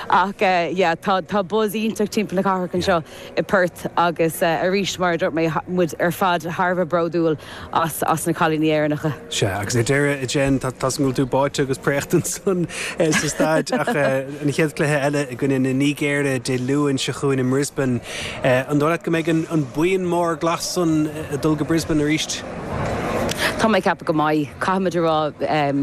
F: ach yeah tá tá buzz iontach timpeall na cathrach anseo i Perth agus arís mar a dúirt mé muid ar fad thar a bheith bródúil as as na cailíní Éireannacha.
A: Sea agus ar deireadh a Jen tá tá go bhfuil tú báite agus préachta ansan sa staid ach an chéad cluiche eile i gcoinne na Nigéire Dé Luain seo chugainn i mBrisbane. An dóigh leat go mbeidh an an buíon mór glas san ag dul go Brisbane arís?
F: Tá mé ag ceapadh go mbeidh. Caithfimid a rá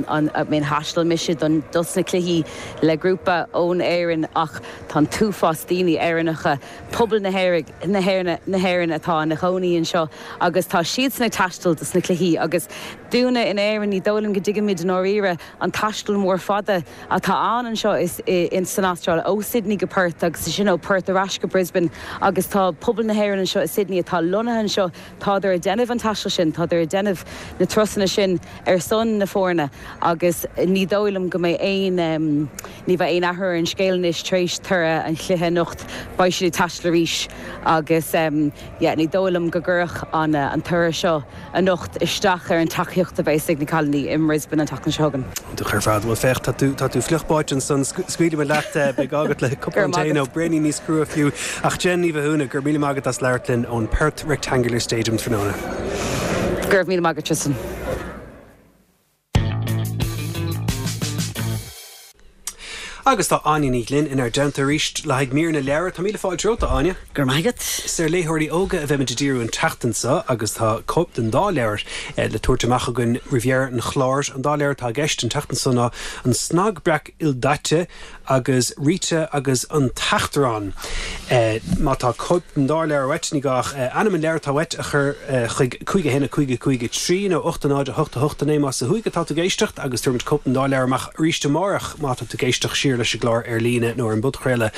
F: an I mean thaistil mise don dos na cluichí le grúpa ón Éirinn ach tá an t-uafás daoine Éireannacha, pobal na na na hÉireann atá ina chónaí anseo agus tá siadsan ag taisteal dos na cluichí agus dúinne in Éirinn ní dóigh liom go dtuigimid i ndáiríre an taisteal mór fada atá ann anseo is in san Astráil ó Sydney go Perth agus ansin ó Perth ar ais go Brisbane agus tá pobal na hÉireann anseo i Sydney atá lonnaithe anseo, tádar ag déanamh an taistil sin, tádar ag déanamh na turasanna sin ar son na foirne agus ní dóigh liom go mbeidh aon, ní bheidh aon athrú ar an scéal anois tar éis toradh an chluiche anocht, beidh siad ag taisteal arís agus yeah ní dóigh liom go gcuirfeadh an an toradh seo anocht isteach ar an tacaíocht a bheas ag na cailíní i mBrisbane an tseachtain seo chugainn.
A: Iontach ar fad. Bhuel féach, tá tú, tá tú fliuch báite ansan, scaoilfidh mé leat, beidh gá agat le cupán tae nó braoinín níos crua fiú. Ach Jen Ní Mhathúna, go raibh míle maith agat as labhairt linn ón Perth Rectangular Stadium tráthnóna.
F: Go raibh míle maith agat Tristan.
A: Agus tá Áine Ní Ghlinn inár dteannta arís le haghaidh mír na leabhar. Tá míle fáilte romhat, a Áine.
G: Go raibh maith agat.
A: Is ar léitheoirí óga a bheimid ag díriú an tseachtain seo agus tá cóip den dá leabhar le tabhairt amach againn roimh dheireadh an chláir. An dá leabhar atá i gceist an tseachtain seo ná An Snag Breac Ildaite agus Rita agus an tAchrán. Má tá cóip den dá leabhar uait, ní gá ach ainm an leabhair atá uait a chur chuig cúig a haon a cúig a cúig a trí nó ocht a náid a hocht a hocht a naoi más ó thuaidh atá tú ag éisteacht agus tabharfaimid cóip den dá leabhar amach arís amárach má tá tú ag éisteacht siar. siar leis an gclár ar líne nó ar an bpodchraoladh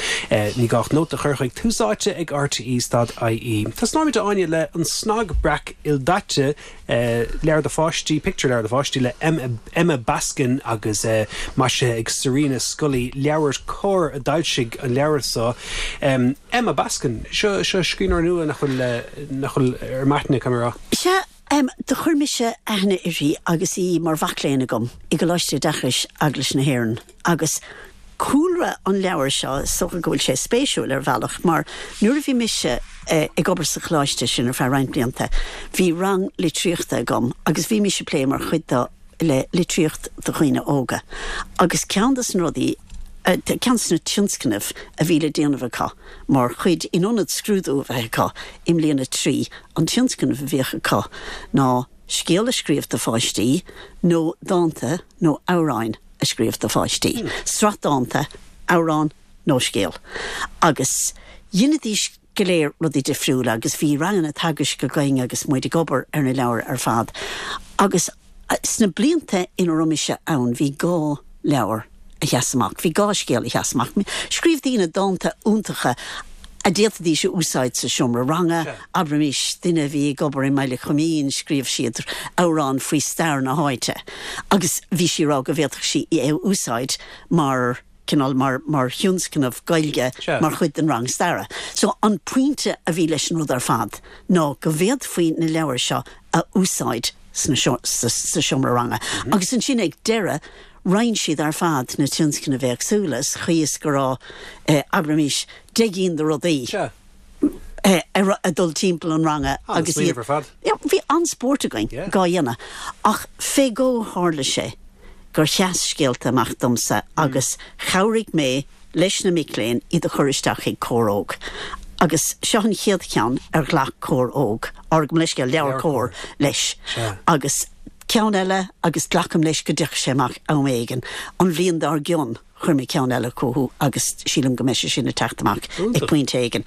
A: ní gá ach nóta a chur chuig Tús Áite ag RTE stad IE. Tosnóimid Áine le an Snag Breac Ildaite leabhar do pháistí pictiúrleabhar do pháistí le Emma Baskin agus maisithe ag Serena Scully leabhar Comhar a d'fhoilsigh an leabhar seo. Emma Baskin seo seo scríbhneoir nua nach bhfuil nach bhfuil ar m'aithne camará.
G: Sea um, do chuir mise aithne uirthi agus í mar mhac léinn agam i gColáiste Oideachais Eaglais na hÉireann agus cúlra an leabhar seo so go bhfuil sé spéisiúil ar bhealach mar nuair a bhí mise eh, ag obair sa choláiste sin ar feadh roinnt blianta, bhí rang litríochta agam agus bhí mise ag plé mar chuid de le litríocht do dhaoine óga. Agus ceann des na rudaí eh, ceann des na tionscnaimh a bhí le déanamh acu mar chuid in ionad scrúdú a bheith acu i mbliain a trí an tionscnamh a bhíodh acu ná scéal a scríobh do pháistí nó dánta nó amhráin a scríobh do pháistí. Mm. Sraith dánta, amhrán nó scéal. Agus dheinidís go léir rudaí difriúla agus bhí ranganna teagaisc againn agus muid ag obair ar na leabhair ar fad. Agus sna blianta ina raibh mise ann bhí dhá leabhar a sheas amach, bhí dhá scéal a sheas amach. Scríobh daoine dánta iontacha a d'fhéadfaidís a úsáid sa seomra ranga, abraimis duine a bhí ag obair i mBaile Choimín, scríobh siad amhrán faoi stair na háite. Agus bhí sí ag rá go bhféadfadh sí é a úsáid mar cineál mar mar thionscnamh Gaeilge mar chuid den rang staire. So an pointe a bhí leis an rud ar fad ná go bhféadfaí na leabhair seo a úsáid sna sa seomra ranga. Mm -hmm. Agus ansin ag deireadh roinn siad ar fad na tionscnaimh éagsúla sa chaoi is go raibh eh, abraimis deich gcinn de rudaí. Eh, a dul timpeall an ranga
A: agus
G: bhí an-spórt againn á dhéanamh ach fé go tharla sé gur sheas scéalta amach domsa agus chabhraigh mé leis na mic léinn iad a chur isteach ag Comhar Óg. Agus seo an chéad cheann ar ghlac Comhar Óg, ar gabh mo leithscéal leabhar Comhar leis. Agus ceann eile agus glacaim leis go dtiocfaidh sé amach am éigin. An bhliain dár gcionn chuir mé ceann eile chucu agus sílim go mbeidh sé sin ag teacht amach ag pointe éigin.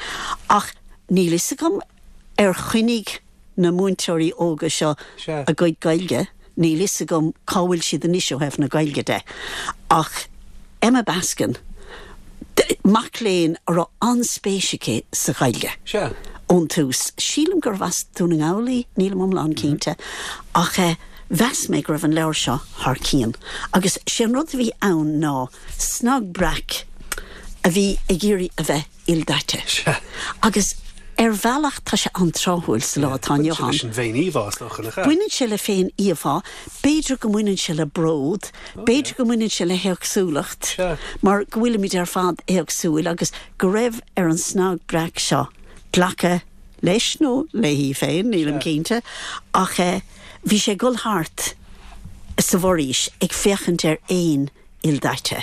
G: Ach níl fhios agam ar choinnigh na múinteoirí óga seo a gcuid Gaeilge, níl fhios agam cá bhfuil siad anois ó thaobh na Gaeilge de. Ach Emma Baskin, mac léinn a raibh an-spéis aici sa Ghaeilge. Ón tús. Sílim gurbh as Dún na nGall í, nílim iomlán cinnte, ach eh, mheas mé go raibh an leabhar seo thar cionn. Agus sé an rud a bhí ann ná snag breac a bhí ag iarraidh a bheith ildaite. Agus ar bhealach tá sé an-tráthúil sa lá atá inniu ann.
A: An bhféin-íomhá is dócha nach ea?
G: Baineann sé le féin-íomhá, b'fhéidir go mbaineann sé le bród, b'fhéidir go mbaineann sé le héagsúlacht, mar go bhfuilimid ar fad éagsúil agus go raibh ar an snag breac seo glacadh leis nó léi féin, nílim cinnte, ach eh, bhí sé ag dul thart sa bhforaois ag féachaint ar éin ildaite,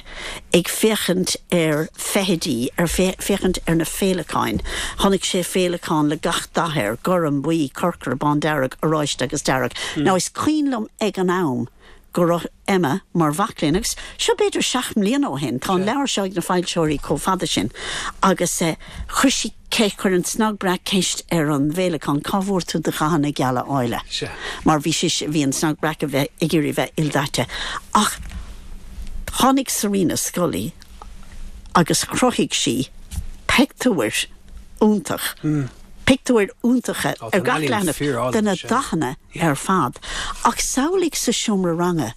G: ag féachaint ar feithidí, ar féachaint ar na féileacáin. Chonaic sé féileacán le gach dath air, gorm, buí, corcra, bándearg, oráiste agus dearg. Mm. Now is cuimhin liom ag an am go raibh Emma mar mhac léinn agus seo b'fhéidir seacht mbliana ó shin, tá an leabhar seo ag na foilsitheoirí chomh fada sin agus eh, chuir sí chuir an snag breac ceist ar an bhféileacán cá bhfuair tú do dhathanna geala áille. Mar bhí sé bhí an snag breac a bheith ag iarraidh bheith ildaite. Ach tháinig Serena Scully agus chruthaigh sí pictiúir iontach. Mm. Pictiúir iontacha ar gach leathanach de na dathanna ar fad. Ach samhlaigh sa seomra ranga,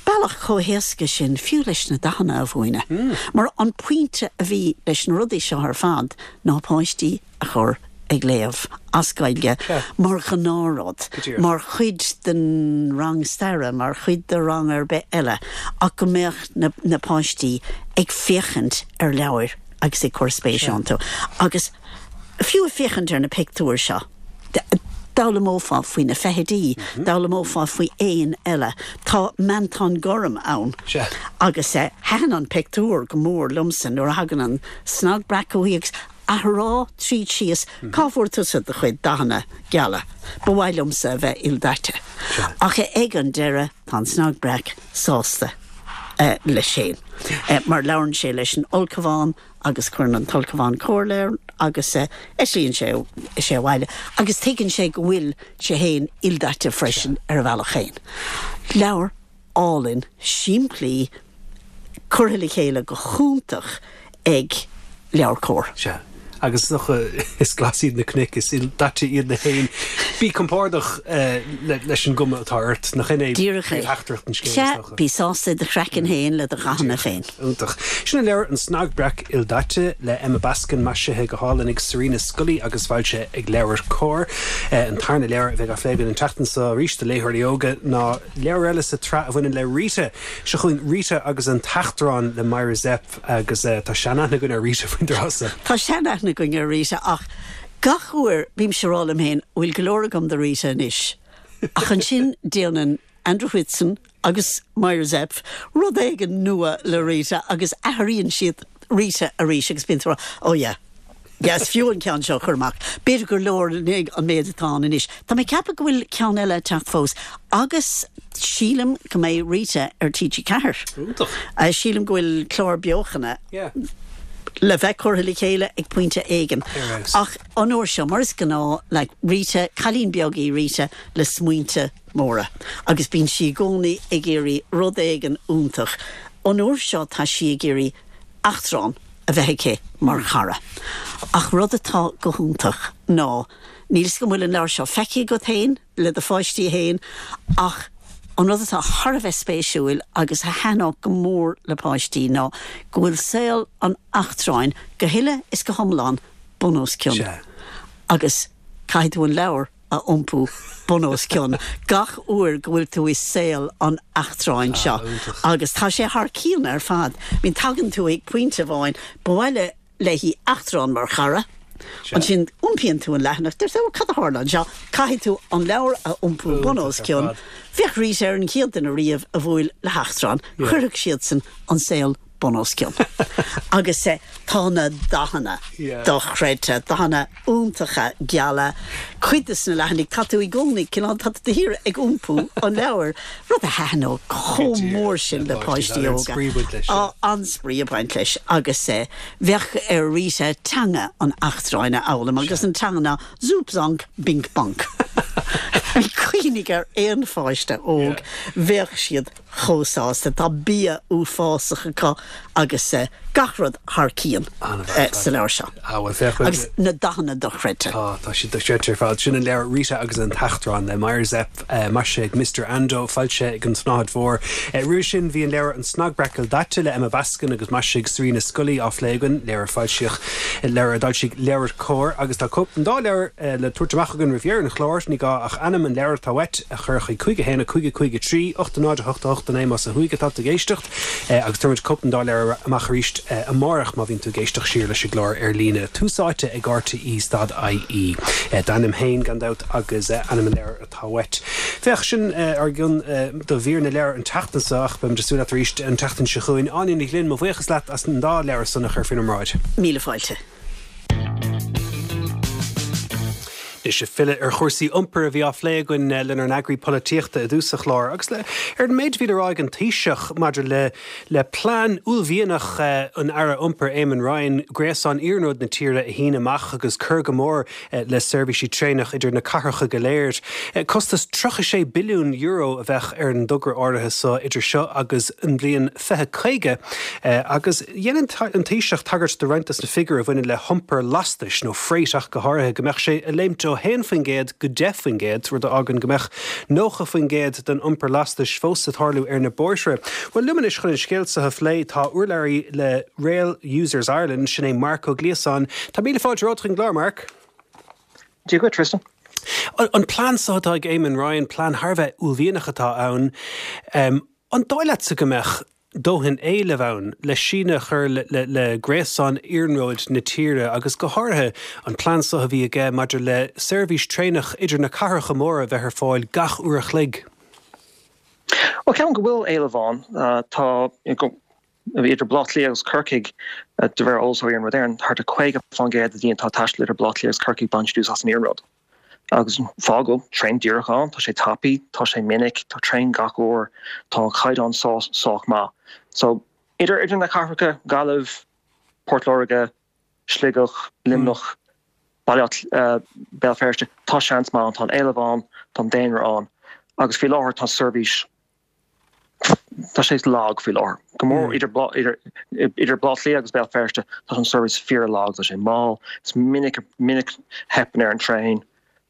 G: bealach chomh héasca sin fiú leis na dathanna a mhúineadh. Mm. Mar an pointe a bhí leis na rudaí seo ar fad ná páistí a chur ag léamh as Gaeilge mar ghnáthrud, mar chuid den rang staire, mar chuid de rang ar bith eile, ach go mbeadh na, na páistí ag féachaint ar leabhair agus ag cur spéis iontu. Agus fiú ag féachaint ar na pictiúir seo, d'fhoghlaimeofá faoi na feithidí, mm -hmm. d'fhoghlaimeofá faoi éin eile. Tá meantán gorm ann. Agus eh, thaitin an pictiúr go mór liomsa nuair a thagann an snag breac chuici agus á rá tríd síos cá bhfuair tusa do chuid dathanna geala. Ba mhaith liomsa a bheith ildaite. Ach ag an deireadh tá an snag breac sásta uh, leis féin. Uh, mar labhrann sé leis an ulchabhán agus cuireann an t-ulchabhán comhairle air agus uh, eitlíonn sé sé abhaile agus tuigeann sé go bhfuil sé féin ildaite freisin ar a bhealach féin. Leabhar álainn simplí Curtha le chéile go hiontach ag LeabhairCOMHAR.
A: Sea. Agus is dócha is glas iad na cnoic, is ildaite iad na héin. Bí compordach leis an gcuma atá ort, nach in é
G: Díreach é.
A: príomhtheachtaireacht an scéil, is
G: Sea,
A: dócha?
G: bí sásta i do chraiceann féin le do dhathanna féin.
A: Iontach. Sin an leabhar An Snag Breac Ildaite le Emma Baskin, maisithe go hálainn ag Serena Scully agus foilsithe ag LeabhairCOMHAR. An tarna leabhar a bheidh á phlé againn an tseachtain seo arís do léitheoirí óga ná leabhar eile sa tsraith a bhaineann le Rita. Seo chugainn Rita agus an tEachtrán le Myra Zepf agus tá seanaithne againn ar Rita faoin dtráth seo.
G: Tá seanaithne againn ar Rita ach gach uair bímse ag rá liom féin bhfuil go leor agam de Rita anois. Ach ansin déanann Andrew Whitson agus Myra Zepf rud éigin nua le Rita agus athraíonn siad Rita arís agus bíonn tú oh yeah. Yes, fiú an ceann seo chur amach. B'fhéidir gur leor an méid atá ann anois. Tá mé ag ceapadh go bhfuil ceann eile ag teacht fós agus sílim go mbeidh Rita ar T G Ceathair.
A: Iontach.
G: Sílim go bhfuil clár beochana
A: Yeah.
G: le bheith curtha le chéile ag pointe éigin.
A: Ar fheabhas.
G: Ach an uair seo mar is gnáth le Rita, cailín beag í Rita le smaointe móra. Agus bíonn sí i gcónaí ag iarraidh rud éigin iontach. An uair seo tá sí ag iarraidh eachtrán a bheith aici mar chara. Ach rud atá go hiontach ná níl go bhfuil an leabhar seo feicthe agat féin le do pháistí féin ach an rud atá thar a bheith spéisiúil agus a thaitneodh go mór le páistí ná go bhfuil saol an eachtráin go huile is go hiomlán bun os cionn.
A: Sea.
G: Agus caithfidh tú an leabhar a iompú bun os cionn gach uair go bhfuil tú i saol an eachtráin seo.
A: Iontach.
G: Agus tá sé thar cionn ar fad. Bíonn tagann tú ag pointe amháin ba mhaith léi eachtrán mar chara. Ansin iompaíonn tú an leathanach, deir tú cad a tharla anseo, caithfidh tú an leabhar a iompú bun os
A: Iontach ar
G: cionn.
A: fad.
G: Bheadh Rita ar an chéad duine riamh a bhuail le heachtrán, chuirfeadh siadsan an saol bun os cionn. Agus eh, tá na dathanna
A: Yeah.
G: dochreidte, dathanna iontacha geala, cuid de na leathanaigh tá tú i gcónaí cineál tá tú ag iompú an leabhar, rud a thaitneodh chomh mór sin le páistí óga.
A: An-spraoi ag baint leis,
G: Á, an-spraoi ag baint leis agus eh, bheadh ar Rita teanga an eachtráin a fhoghlaim agus an teanga ná zoop zonk bink bonk. Cuimhnigh ar aon pháiste óg bheadh siad chomh sásta tá bia uafásach acu agus eh, gach rud thar cionn
A: An-mhaith
G: eh, sa leabhar seo.
A: Ah, well, féach
G: Agus na dathanna dochreidte.
A: Tá tá siad dochreidte ar fad sin an leabhar Rita agus an tEachtrán le Myra Zepf uh, maisithe ag Mister Ando foilsithe ag an tSnáthaid Mhór. Uh, Roimhe sin bhí an leabhar an Snag Breac Ildaite le Emma Baskin agus maisithe ag Serena Scully á phlé againn leabhar foilsíodh leabhar a d'fhoilsigh LeabhairCOMHAR agus tá cóip den dá leabhar uh, le tabhairt amach againn roimh dheireadh an chláir ní gá ach ainm an leabhar atá uait a chur chuig cúig a haon a cúig a cúig a trí ocht a náid a hocht a hocht a naoi más ó thuaidh atá tú ag éisteacht uh, agus tabharfaimid cóip den dá leabhar amach arís uh, amárach má bhíonn tú ag éisteacht siar leis an gclár ar líne tús áite ag R T E stad I E. Uh, D'ainm féin gan dabht agus uh, ainm an leabhar atá uait. Féach sin uh, ár gcion uh, do mhír na leabhar an tseachtain seo ach beimid ag súil leat arís an tseachtain seo chugainn Áine Ní Ghlinn mo bhuíochas leat as an dá leabhar san a chur faoinár mbráid.
G: Míle fáilte.
A: Is ag filleadh ar chúrsaí iompair a bhí á phlé againn lenár n-eagraí polaitíochta i dtús an chláir, agus le ar an méid a bhí le rá ag an Taoiseach maidir le le plean uaillmhianach an Aire Iompair Eamon Ryan gréasán iarnróid na tíre a shíneadh amach agus cur go mór le seirbhísí traenach idir na cathracha go léir. Costas tríocha sé billiún euro a bheadh ar an dtogra áirithe seo idir seo agus an bhliain fiche caoga agus dhein an Taoiseach tagairt do roinnt de na figiúirí a bhaineann le hiompar lastais nó freight ach go háirithe go mbeadh sé ag léimt ó haon faoin gcéad go deich faoin gcéad, rud a fhágann go mbeadh nócha faoin gcéad den iompar lastais fós ag tarlú ar na bóithre. Well liom anois chun an scéal seo a phlé tá urlabhraí le Rail Users Ireland sin é Marc Ó Gliasáin. Tá míle fáilte romhat chuig an gclár Marc?
H: Dia duit Tristan.
A: An plean seo atá ag Eamon Ryan plean thar a bheith uaillmhianach atá ann. Um, an dóigh leatsa go mbeadh dóthain éilimh ann le síneadh a chur le, le, le gréasán iarnróid na tíre agus go háirithe an plean seo a bhí aige maidir le seirbhís traenach idir na cathracha móra bheith ar fáil gach uair a chloig.
H: Well ceapaim go bhfuil éileamh ann uh, tá idir Baile Átha Cliath agus Corcaigh uh, de réir eolas Iarnród Éireann thart ar caoga faoin gcéad de dhaoine atá ag taisteal idir Baile Átha Cliath agus Corcaigh baint úsáid as an iarnród. Agus fáth go bhfuil traein díreach ann, tá sé tapaidh, tá sé minic, tá traein gach uair, tá an caighdeán sách sách maith. So idir idir na cathracha Gaillimh, Port Láirge, Sligeach, Luimneach, Baile uh, Béal Feirste, tá seans maith tá éileamh ann, tá daonra ann. Agus faoi láthair tá seirbhís tá sé lag faoi láthair. Go mór idir idir idir Baile Átha Cliath agus Béal Feirste tá an seirbhís fíorlag tá sé mall, is minic minic theipeann ar an traein.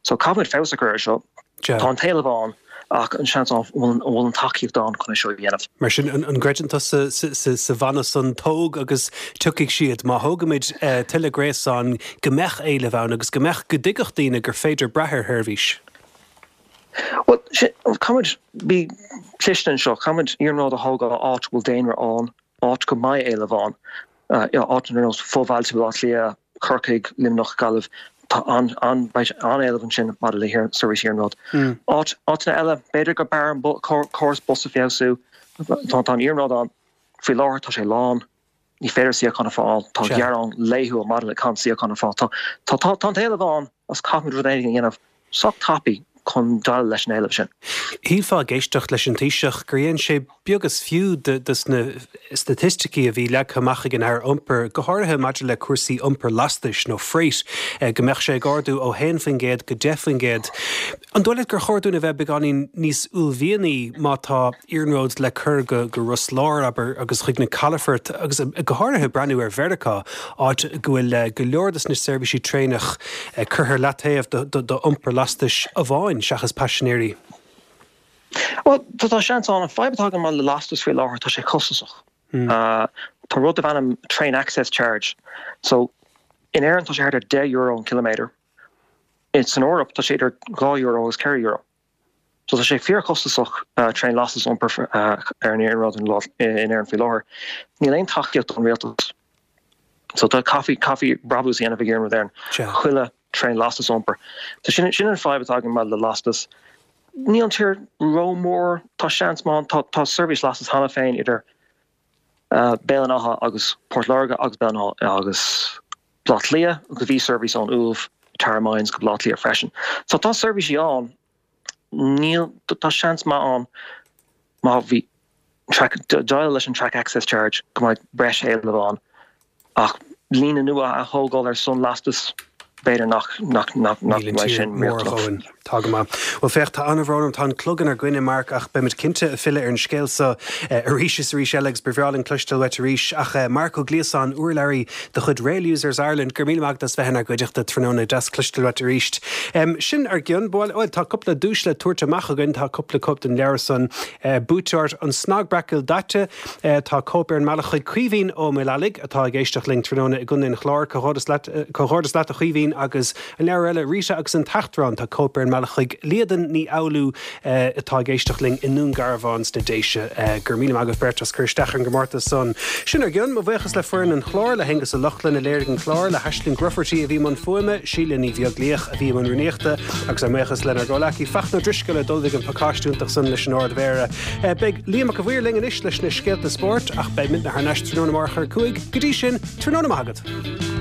H: So caithfimid feabhas a chur air seo. Tá an t-éileamh ann ach an seans ann an bhfuil an tacaíocht ann chun é seo a dhéanamh.
A: Mar sin an gcreideann tusa sa mhana san tóg agus tiocfaidh siad má thógaimid tuilleadh gréasán go mbeadh éileamh ann agus go mbeadh go dtuigfeadh daoine gur féidir brath ar sheirbhís?
H: Well caithfimid bí cliste anseo, caithfimid iarnród a thógáil áit bhfuil daonra ann, áit go mbeidh éileamh ann, áit ar nós fo-bhailte Bhaile Átha Cliath, Corcaigh, Luimneach, Gaillimh, tá an-éileamh ansin maidir le seirbhís iarnróid. Áit áiteanna eile, b'fhéidir go mb'fhearr an córas bus a feabhsú, tá an iarnród ann faoi láthair tá sé lán, ní féidir suíochán a fháil, tá gearán laethúil maidir le gan suíochán a fháil. Tá tá tá an t-éileamh ann agus caithfimid rud éigin a dhéanamh sách tapaidh chun déileáil leis an éileamh sin.
A: Shílfeá ag éisteacht leis an Taoiseach gur dhein sé beag is fiú de na staitisticí a bhí leagtha amach ag an Aire Iompair, go háirithe maidir le cúrsaí iompair lastais nó freight, go mbeadh sé ag ardú ó haon faoin gcéad go deich faoin gcéad. An dóigh leat gur chóir dúinn a bheith beagáinín níos uaillmhianaí má tá iarnród le cur go go Ros Láir, abair, agus chuig na calafoirt agus go háirithe breathnú ar Mheiriceá, áit go bhfuil go leor de na seirbhísí traenach curtha ar leataobh d'iompar lastais amháin seachas paisinéirí?
H: Well tá seans ann an fadhb atá agam le lastas faoi láthair tá sé costasach. Tá rud darb ainm train access charge. So in Éirinn tá sé thart ar deich euro an kilometer. San Eoraip tá sé idir dhá euro agus ceithre euro. So tá sé fíorchostasach traein lastas a iompar ar an iarnród in Éirinn faoi láthair. Níl aon tacaíocht ón rialtas. So tá caithfí caithfí brabús a dhéanamh ag Iarnród Éireann. Chuile traein lastas a iompar. So sin sin an fadhb atá agam le lastas. Níl an tír rómhór, tá seans maith tá tá seirbhís lastas cheana féin idir Béal an Átha agus Port Láirge agus Béal an Átha agus Baile Átha Cliath agus bhí seirbhís ón Uaimh Tara Mines go Baile Átha Cliath freisin. So tá seirbhísí ann níl tá seans maith ann má bhí track déileáil leis an track access charge go mbeidh breis éileamh ann ach líne nua a thógáil ar son lastas b'fhéidir nach nach nach nach mbeidh sin riachtanach.
A: Tá go maith. Bhuel féach tá an-bhrón orm tá an clog inár gcoinne Mark ach beimid cinnte ag filleadh ar an scéal seo arís is arís eile agus ba bhreá linn cloisteáil uait arís ach Mark Ó Gliasáin urlabhraí de chuid Rail Users Ireland gur míle maith agat as bheith inár gcuideachta tráthnóna deas cloisteáil uait arís. Sin ár gcionn bhuel tá cúpla duais le tabhairt amach againn tá cúpla cóip den leabhar san buaite ort an Snag Breac Ildaite tá cóip ar an mbealach chuig Caoimhín Ó Maolallaigh atá ag éisteacht linn tráthnóna i gContae an Chláir comhghairdeas leat comhghairdeas leat a Chaoimhín agus an leabhar eile Rita agus an tEachtrán tá cóip ar an mbealach chuig Líadan Ní Fhoghlú atá ag éisteacht linn i nDún Garbhán sna Déise gur míle maith agaibh beirt as cur isteach ar an gcomórtas san. Sin ár gcionn mo bhuíochas le foireann an chláir le hAonghus Ó Lochlainn a léirigh an clár le hAisling Grufferty a bhí i mbun fuaime, Síle Ní Bheaglaoich a bhí i mbun rúnaíochta agus ár mbuíochas lenár gcomhleacaí Fachtna Ó Drisceoil a d'ullmhaigh an pacáiste iontach san leis an Ard-Mhéara. Beidh Liam Mac a' Mhaoir linn anois leis na scéalta spóirt ach beidh muidne thar n-ais tráthnóna amárach ar a cúig go dtí sin tráthnóna maith agat.